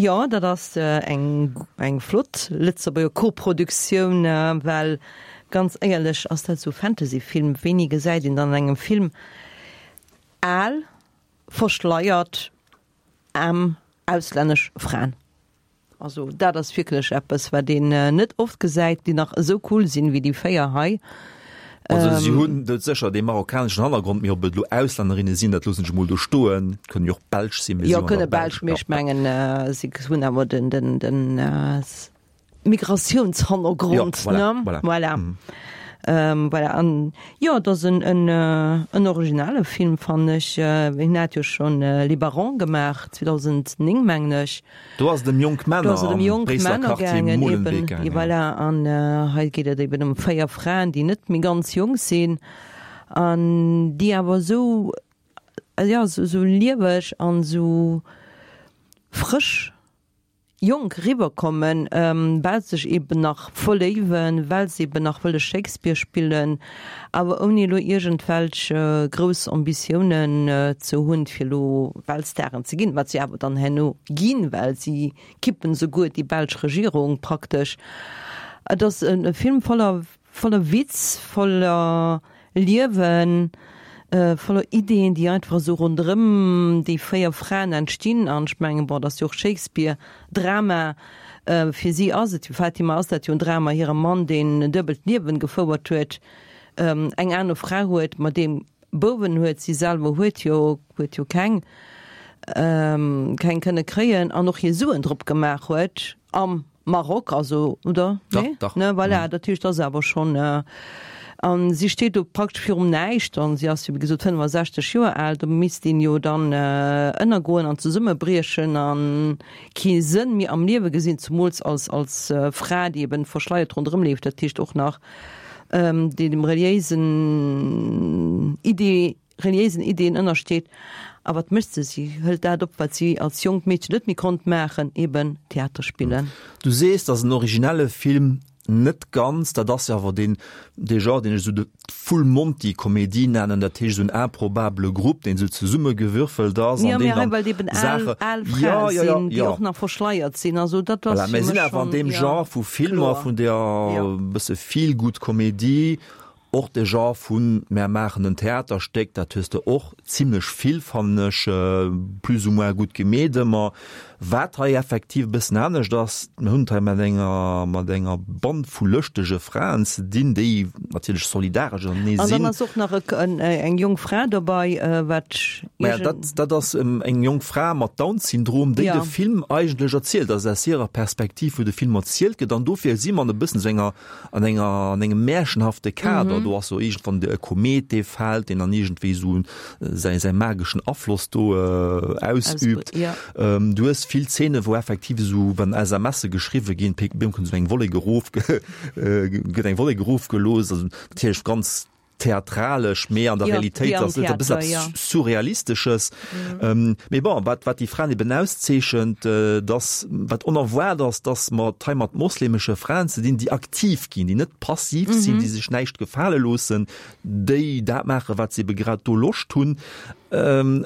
Jo, dat ass eng, eng flott Lëtzebuerger Koproduktioun, well ganz éierlech ass dat esou Fantasyfilm, wéini gesäit een dann an engem Film al, verschleiert aarm auslännesch Fraen. Also dat ass wierklech eppes, wat een net oft gesäit, déi nach esou cool sinn wéi déi 4 hei. Also si hunn doudsécher dee marokkaneschen Hannergrond, mee ob et elo Auslännerinne sinn, dat loossen ech emol do stoen. Kënnen jo och Belsch sinn, mee si Jo, hunn kënne awer Belsch, mee ech mengen si hunn awer den, den, den. Migratiounshannergrond, Ja, voilà, ne? voilà. Voilà. Ähm, voilà. An jo, et ass en, en, en originale Film, fannen ech. Hien hat jo schonn Les Barons gemaach, 2009, mengen ech. Do ass et ëm jonk Do Männer ass et ëm am jonk Bréisseler Männer Quartier gaangen, Molenbeek eben. gaangen, ja. Voilà. An hei geet et eben ëm 4 Fraen, déi net méi ganz jonk sinn an déi awer esou, jo, esou lieweg an esou frësch jonk eriwwerkommen, well se sech eben nach verléiwen, well se eben nach wëlle Shakespeare spillen, awer ouni elo iergendwelch grouss Ambitiounen ze hunn, fir elo Weltstaren ze ginn, wat si awer dann herno ginn, well si kippen souguer déi belsch Regierung praktesch. Et ass e Film voller Voller Witz, voller Liewen, voller Ideen, déi einfach esou ronderëm déi 4 Fraen entstinn. An ech mengen, bon, et ass jo och Shakespeare, Drama. Fir si ass et, fir Fatima ass dat jo en Drama, hire Mann, deen en duebelt Liewen gefouert huet, eng aner Fra huet, mat deem Bouwen huet, si selwer huet jo, huet jo keng, keng kënne kréien an och hir Suen drop gemaach huet am Maroc, also, oder? Dach, Nee? dach. Ne, voilà, dat heescht, ass awer schonn. An si steet do praktesch virum Näischt an si ass jo, wéi gesot, 65 Joer al. Do misst een jo dann ënnergoen an zesummebriechen a kee Sënn méi am Liewe gesinn, zemools als, als Fra, déi eben verschleiert ronderëm leeft, dat heescht och nach, déi dem reliéisen Idee, reliéisen Ideen ënnersteet. A wat mécht se? Si hëlt dat op, wat si als jonkt Meedchen net méi konnt maachen, eben Theater spillen. Du sees, et ass en originelle Film. Net ganz, dat ass jo awer deen, dee Genre, deen ech esou de Full Monty Komedie nennen, dat heescht esou en improbabele Grupp, deen esou zesummegewürfelt ass Jo, an mee deen hei dann well et eben al, Saache, al jo, Frae jo, jo, sinn, déi jo. och nach verschleiert sinn. Also dat ass Voilà, fir mir sinn mech awer an schonn, deem jo, Genre vu Filmer, kloer, vun der jo. bësse Feel-Good Komedie. Och de Genre vun mär maachen en Theaterstéck, dat hues de och zimlech vill, fannen ech, plus ou moins gutt gemeet ëmmer. Wat hei effektiv e bëssen anescht ass, mir hunn et hei mat enger, mat enger Band vu lëschtege Fraen ze dinn, déi natierlech solidaresch ënnertenee An dann sinn. ass och nach eng jonk Fra dobei, wat Maja, dat, dat ass eng jonk Fra mat Down-Syndrom, déi de Film eigentlech erzielt, also aus hirer Perspektiv, wou de Film erzielt gëtt. An dofir si mer an e bëssen esou enger an enger an engem märchenhafte Kader. Mm -hmm. Do ass so iergendwann de e Komet, dee fält, deen dann iergendwéi so säi säi mageschen Afloss do äh, ausübt. Ja. Ähm, du hues vill Szene, wou effektiv esou wann SMSe geschriwwe ginn, bim kënnt esou eng Wollek erof, äh, gëtt eng Wollek erofgelooss, also natierlech ganz theatralesch, mee an der Ja, Realitéit wéi am ass et e bëssen Theater, eppes ja. Surrealistesches. Ähm, mee bon, wat, wat déi Fraen eben auszeechent, äh, dass, wat onerwaart ass, dass mer et hei mat moslemesche Fraen ze dinn, déi aktiv ginn, déi net passiv sinn, déi sech näischt gefale loossen, déi dat maachen, wat se ebe grad do Loscht hunn. Ähm,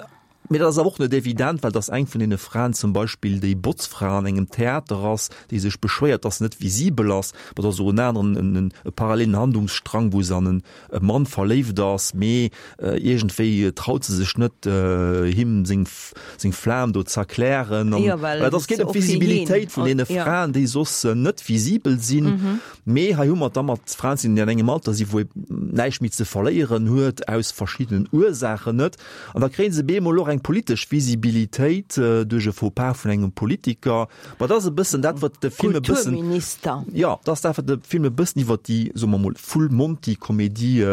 Mee dat ass awer och net evident, well dass eng vun deene Fraen zum Beispill déi Botzfra an engem Theater ass, déi sech beschwéiert, dass se net visibel ass. Ma et ass och en aneren, en e parallelen Handlungsstrang, wou se an en e Mann verléift ass, mee iergendwéi traut se sech net, him seng seng Flam do z'erklären. An Jo, well et ass se geet ëm och fir hien, d'Visibilitéit vun deene ja. Fraen, déi soss net visibel sinn. Mee hei hu mer et da mat Fraen ze dinn, déi an engem Alter sinn, wou ee näischt méi ze verléieren huet, aus verschiddenen Ursaachen net. An da kréie se bemol och eng politesch Visibilitéit duerch e Faux-pas vun engem Politiker. Ma dat ass e bëssen dat, wat de Film e bëssen. Kulturminister. Jo, dat ass dat, wat de Film e bëssen iwwer déi, soe mer mol, Full-Monty-Komedie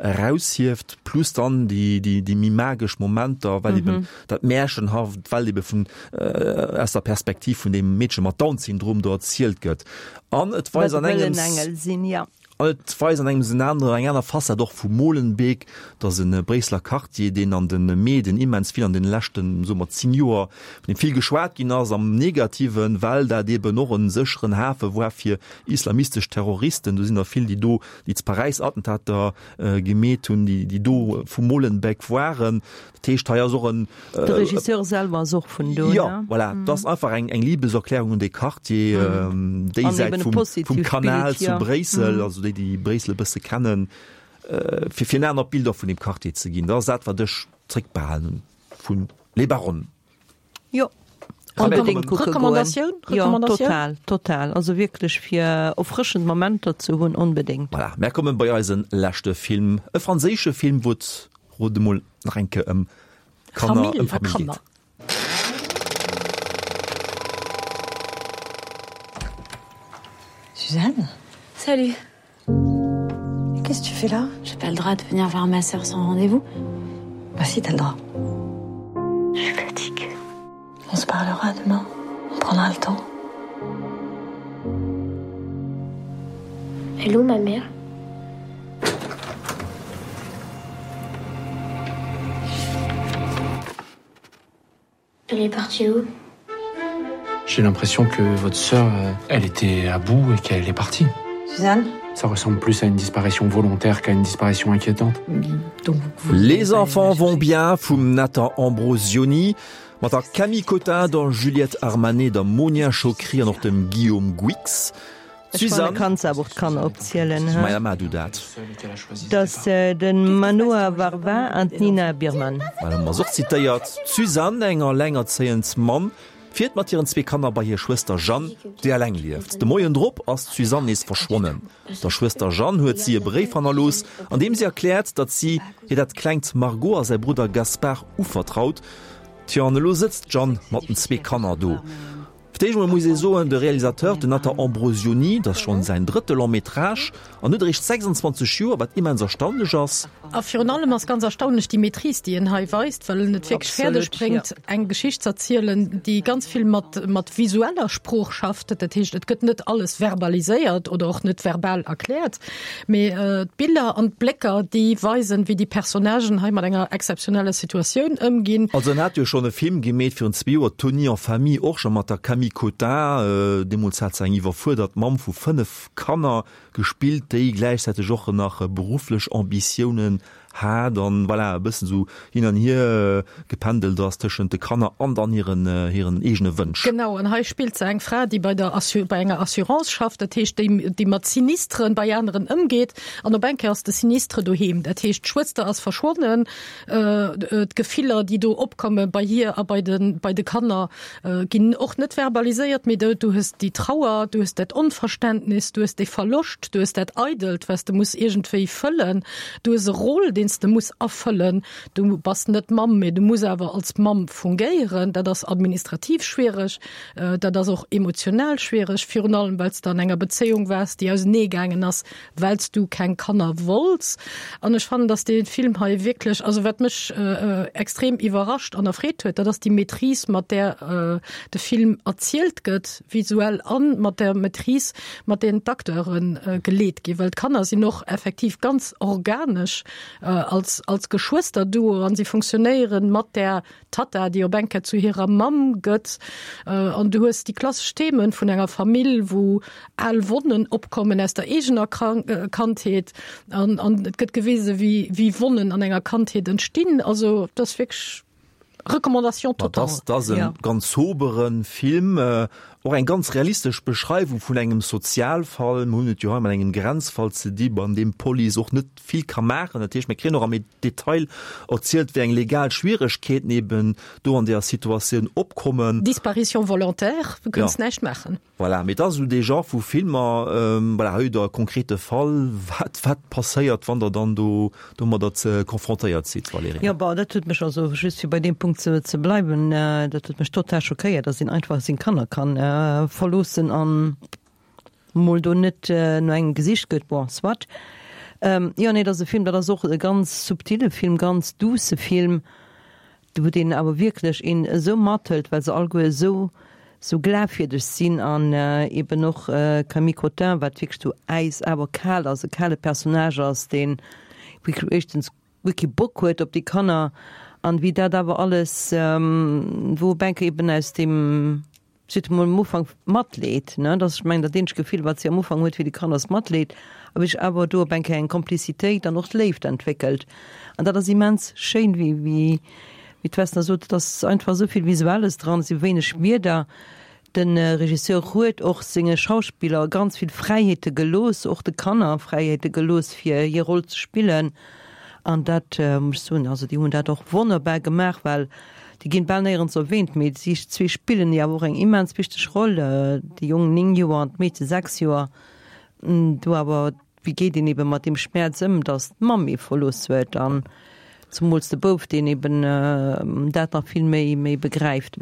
eraushieft, plus dann déi, déi, déi méi magesch Momenter, well eben dat Märchenhaft, well ebe vun, aus der Perspektiv vun deem Meedche mat Down-Syndrom do erzielt gëtt. An et weist an engems. Wat wëll en Engel sinn, jo. An et weist an engems en anere, eng aner Facette och vu Molenbeek, dat ass e Bréisseler Quartier, deen an de Medien immens vill an deene leschten, soe mer, 10 Joer, vun deem vill geschwat ginn ass, am Negativen, well dat eben och e sécheren Hafe war fir islamistesch Terroristen. Do sinn der vill, déi do, déi zu Paräis Attentater gemeet hunn, déi do vu Molenbeek waren. Dat heescht, hei ass och en. De Regisseur selwer ass och vun do, ne? Jo, voilà. Et ass einfach eng Liebeserklärung un dee Quartier, déi Säit vum Kanal zu Bréissel, also déi, déi Bréissel e bësse kennen, fir fir en anert Bild och vun deem Quartier ze ginn. Dat ass dat, wat ech zréckbehalen hunn vu Les Baronnes. Jo. Onbedéngt kucke goen. Recommandatioun? Jo, Recommandatioun? total, total. Also wierklech fir erfrëschend Momenter ze hunn, onbedéngt. Voilà, mär kommen bei eise leschte Film, e franséische Film, wou et, rot emol, nach eng Kéier ëm Kanner, Famill ëm a Famill Kanner. geet. Suzanne Salut. Qu'est-ce que tu fais là J'ai pas le droit de venir voir ma sœur sans rendez-vous. Bah si, t'as le droit. Je suis fatiguée. On se parlera demain. On prendra le temps. Hello ma mère. Elle est partie où J'ai l'impression que votre sœur, euh, elle était à bout et qu'elle est partie. Suzanne Ça ressemble plus à une disparition volontaire qu'à une disparition inquiétante. Donc, vous Les enfants vont bien vum Nathan Ambrosioni, mat der Camille Cottin, der Juliette Armanet, der Monia Chokri an och dem Guillaume Gouix. Ech fannen, kanns awer och d'Kanner opzielen, he? Maja, maach du dat. Dat ass de Manoa Varvin an d'Nina Birman. Well hu mer se och zitéiert. D'Suzanne, eng allengerzéiend Mamm, fiert mat hiren zwee Kanner bei hir Schwëster Jeanne, déi eleng lieft. De Moien drop ass d'Suzanne nees verschwonnen. Der Schwëster Jeanne huet si e Bréif hannerlooss, an deem si erkläert, datt si hir dat klengt Margot a säi Brudder Gaspard uvertraut. Tjo, an elo sëtzt d'Jeanne mat den zwee Kanner do. Fir d'éischt emol muss ee soen, de Realisateur, den Nathan Ambrosioni, dat ass schonn säin drëtte Long métrage an huet eréischt 26 Joer, wat immens erstaunlech ass. A virun allem ass ganz erstaunlech déi Maîtrise, déi en hei weist, well en et wierklech fäerdeg bréngt, eng Geschicht z'erzielen, déi ganz vill mat, mat visueller Sprooch schafft. Dat heescht, et gëtt net alles verbaliséiert oder och net verbal erkläert, Mee d'Biller an d'Blécker, déi weisen, wéi déi Personnagen hei mat enger exzeptioneller Situatioun ëmginn. Also en hat jo schonn e Film gemeet virun zwee Joer, Tony en famille, och scho mat der Camille Cottin. Deemools hat se eng iwwerfuerdert Mamm vu 5 Kanner gespillt, déi gläichzäiteg och nach berufflech Ambitiounen hat an voilà e bëssen esou hin an hier gependelt ass tëschent de Kanner an dann hiren hiren eegene Wënsch. Genau, an hei spillt se eng Fra, déi bei der Assu bei enger Assurance schafft, dat heescht déi déi mat Sinistren bei aneren ëmgeet an op eng Kéier ass de Sinistre doheem, dat heescht d'Schwëster ass verschwonnen, d'Gefiller déi do opkomme bei hir a bei de bei de Kanner ginn och net verbaliséiert, mee du hues déi Trauer, du hues dat Onverständnis, du hues dee Verloscht, du hues dat Eidelt, wat s de muss iergendwéi fëllen, du hues e Rôle, deen s de muss erfëllen. Du bass net Mamm, mee du muss awer als Mamm fungéieren. Dat ass administrativ schwiereg, dat ass och emotional schwiereg, virun allem well s de an enger Bezéiung waars, déi auseneegaangen ass, well s du keng Kanner wollts. An ech fannen, dass dee Film hei wierklech, also wat mech extrem iwwerrascht an erfreet huet, dat ass déi Maîtrise, mat där de Film erzielt gëtt, visuell, a mat der Maîtrise, mat deenen d'Acteure geleet ginn. Well d'Kanner sinn och effektiv ganz organesch als, als Geschwësterduo an si funktionéieren mat där D'Tatta, déi op eng Kéier zu hirer Mamm gëtt. An du hues déi klassesch Themen vun enger Famill, wou al Wonnen opkommen aus der eegener Kandheet. An, an et gëtt gewisen, wéi, wéi Wonnen an enger Kandheet entstinn. Also, dat ass wierklech Recommandation totale. Dat ass e ganz sobere Film, och eng ganz realistesch Beschreiwung vun engem Sozialfall. Mir hunn et jo hei mat engem Grenzfall ze di, an deem d'Police och net vill ka maachen. Dat heescht, mir kréien och am Detail erzielt, wéi eng legal Schwieregkeeten eben do an deeër Situatioun opkommen. Disparition volontaire, du kënns näischt maachen. Voilà, mee et ass esou dee Genre vu Filmer, voilà, hei hutt Der e konkrete Fall, wat, wat passéiert, wann Der dann do domadder ze confrontéiert sidd, Valerija? Jo, bon, dat huet mech also, just fir bei deem Punkt ze, ze bleiwen, dat huet mech total schockéiert, dass een einfach seng Kanner kann verloossen an mol do net no engem gesicht gëtt, bon, soit. Jo, nee, dat ass e Film, dat ass och e ganz subtile Film, ganz duusse Film, wou deen awer wierklech een esou mathëlt, well se alleguer esou, esou glafwierdeg sinn an eben och Camille Cottin, wat wierklech esou äis awer kal ass, e kale Personnage ass, deen wierklech éischtens guer kee Bock huet op déi Kanner an wéi dat awer alles, wou op eng Kéier eben aus deem Si huet emol am Ufank Matleed, ne, dat ass, ech mengen, dat eenzegt Gefill, wat si am Ufank huet fir déi Kanner, ass Matleed, a wéi sech awer do op eng Kéier eng Komplizitéit an och d'Léift entwéckelt. An dat ass immens schéin, wéi, wéi, wéi d'Vesna sot, et ass einfach esou vill Visuelles dran, et si wéineg Wierder. De Regisseur huet och senge Schauspiller ganz vill Fräiheete gelooss, och de Kanner Fräiheete gelooss, fir hir Roll ze spillen. An dat muss ech soen, also déi hunn dat och wonnerbar gemaach, well Déi ginn bal néierens erwähnt, mee si zwee spillen jo awer och eng immens wichteg Roll, de Jong 9 Joer an d'Meedche 6 Joer. Do awer, wéi geet een ebe mat deem Schmäerz ëm, datt d'Mamm ee verlooss huet an zemools de Bouf, deen eben dat nach vill méi méi begräift.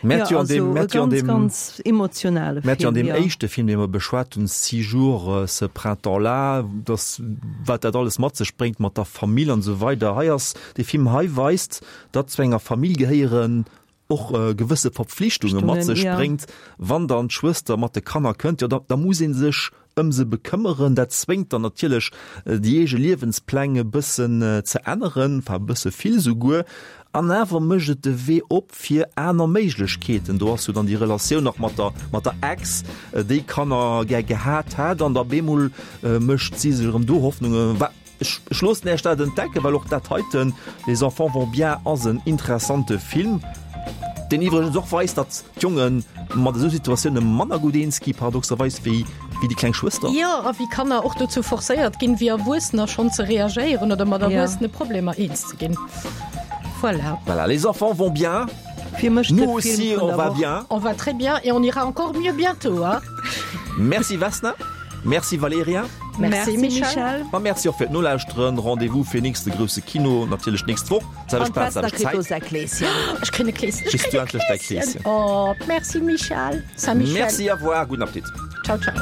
Mä Jo, an deem, also mä e an ganz, deem, ganz emotionale mä an Film, deem jo. éischte Film, dee mer beschwat hunn, Six jours ce printemps-là, dass, wat dat alles mat sech bréngt mat der Famill an esou weider. Hei ass, dee Film hei weist, datt zu enger Famill gehéieren och gewësse Verpflichtunge mat sech bréngt. Wann dann d'Schwëster mat de Kanner kënnt, jo da, da muss ee sech ëm se bekëmmeren. Dat zwéngt dann natierlech déi eege Liewenspläng e bëssen ze änneren, enfin e bësse vill souguer. An awer mécht et de Wee op fir aner Méiglechkeeten. Do ass jo dann déi Relatioun nach mat der, mat der Ex, déi Kanner gär gehat hätt an da bemol mécht si sech erëm do Hoffnungen. Ech loossen Äech dat entdecken, well och dat heiten, Les enfants vont bien, ass en interessante Film, deen iwwregens och weist, datt d'Jonge mat esou Situatioune manner gutt eens gi, paradoxerweis, wéi déi kleng Schwëster. Jo, a wéi Kanner och dozou forcéiert ginn, wéi Erwuessener schonn ze reagéieren oder mat Erwuessene Problemer eens ze ginn. Voilà. Voilà, Les enfants vont bien. Fir mech de Nous aussi, Film vun on der va Woch. bien. On va très bien et on ira encore mieux bientôt, hein. Merci Vesna. Merci Valerija. Merci Michel. A merci och fir d'Nolauschteren. Rendez-vous fir nächste grousse Kino natierlech d'nächst Woch. Selwecht Plaz, selwecht Zäit. Ech kréien e Kleeschen. Kriss du endlech däi Kleeschen. Oh, merci Michel. Saint-Michel. Merci, au revoir, gudden Appetit. Ciao, ciao.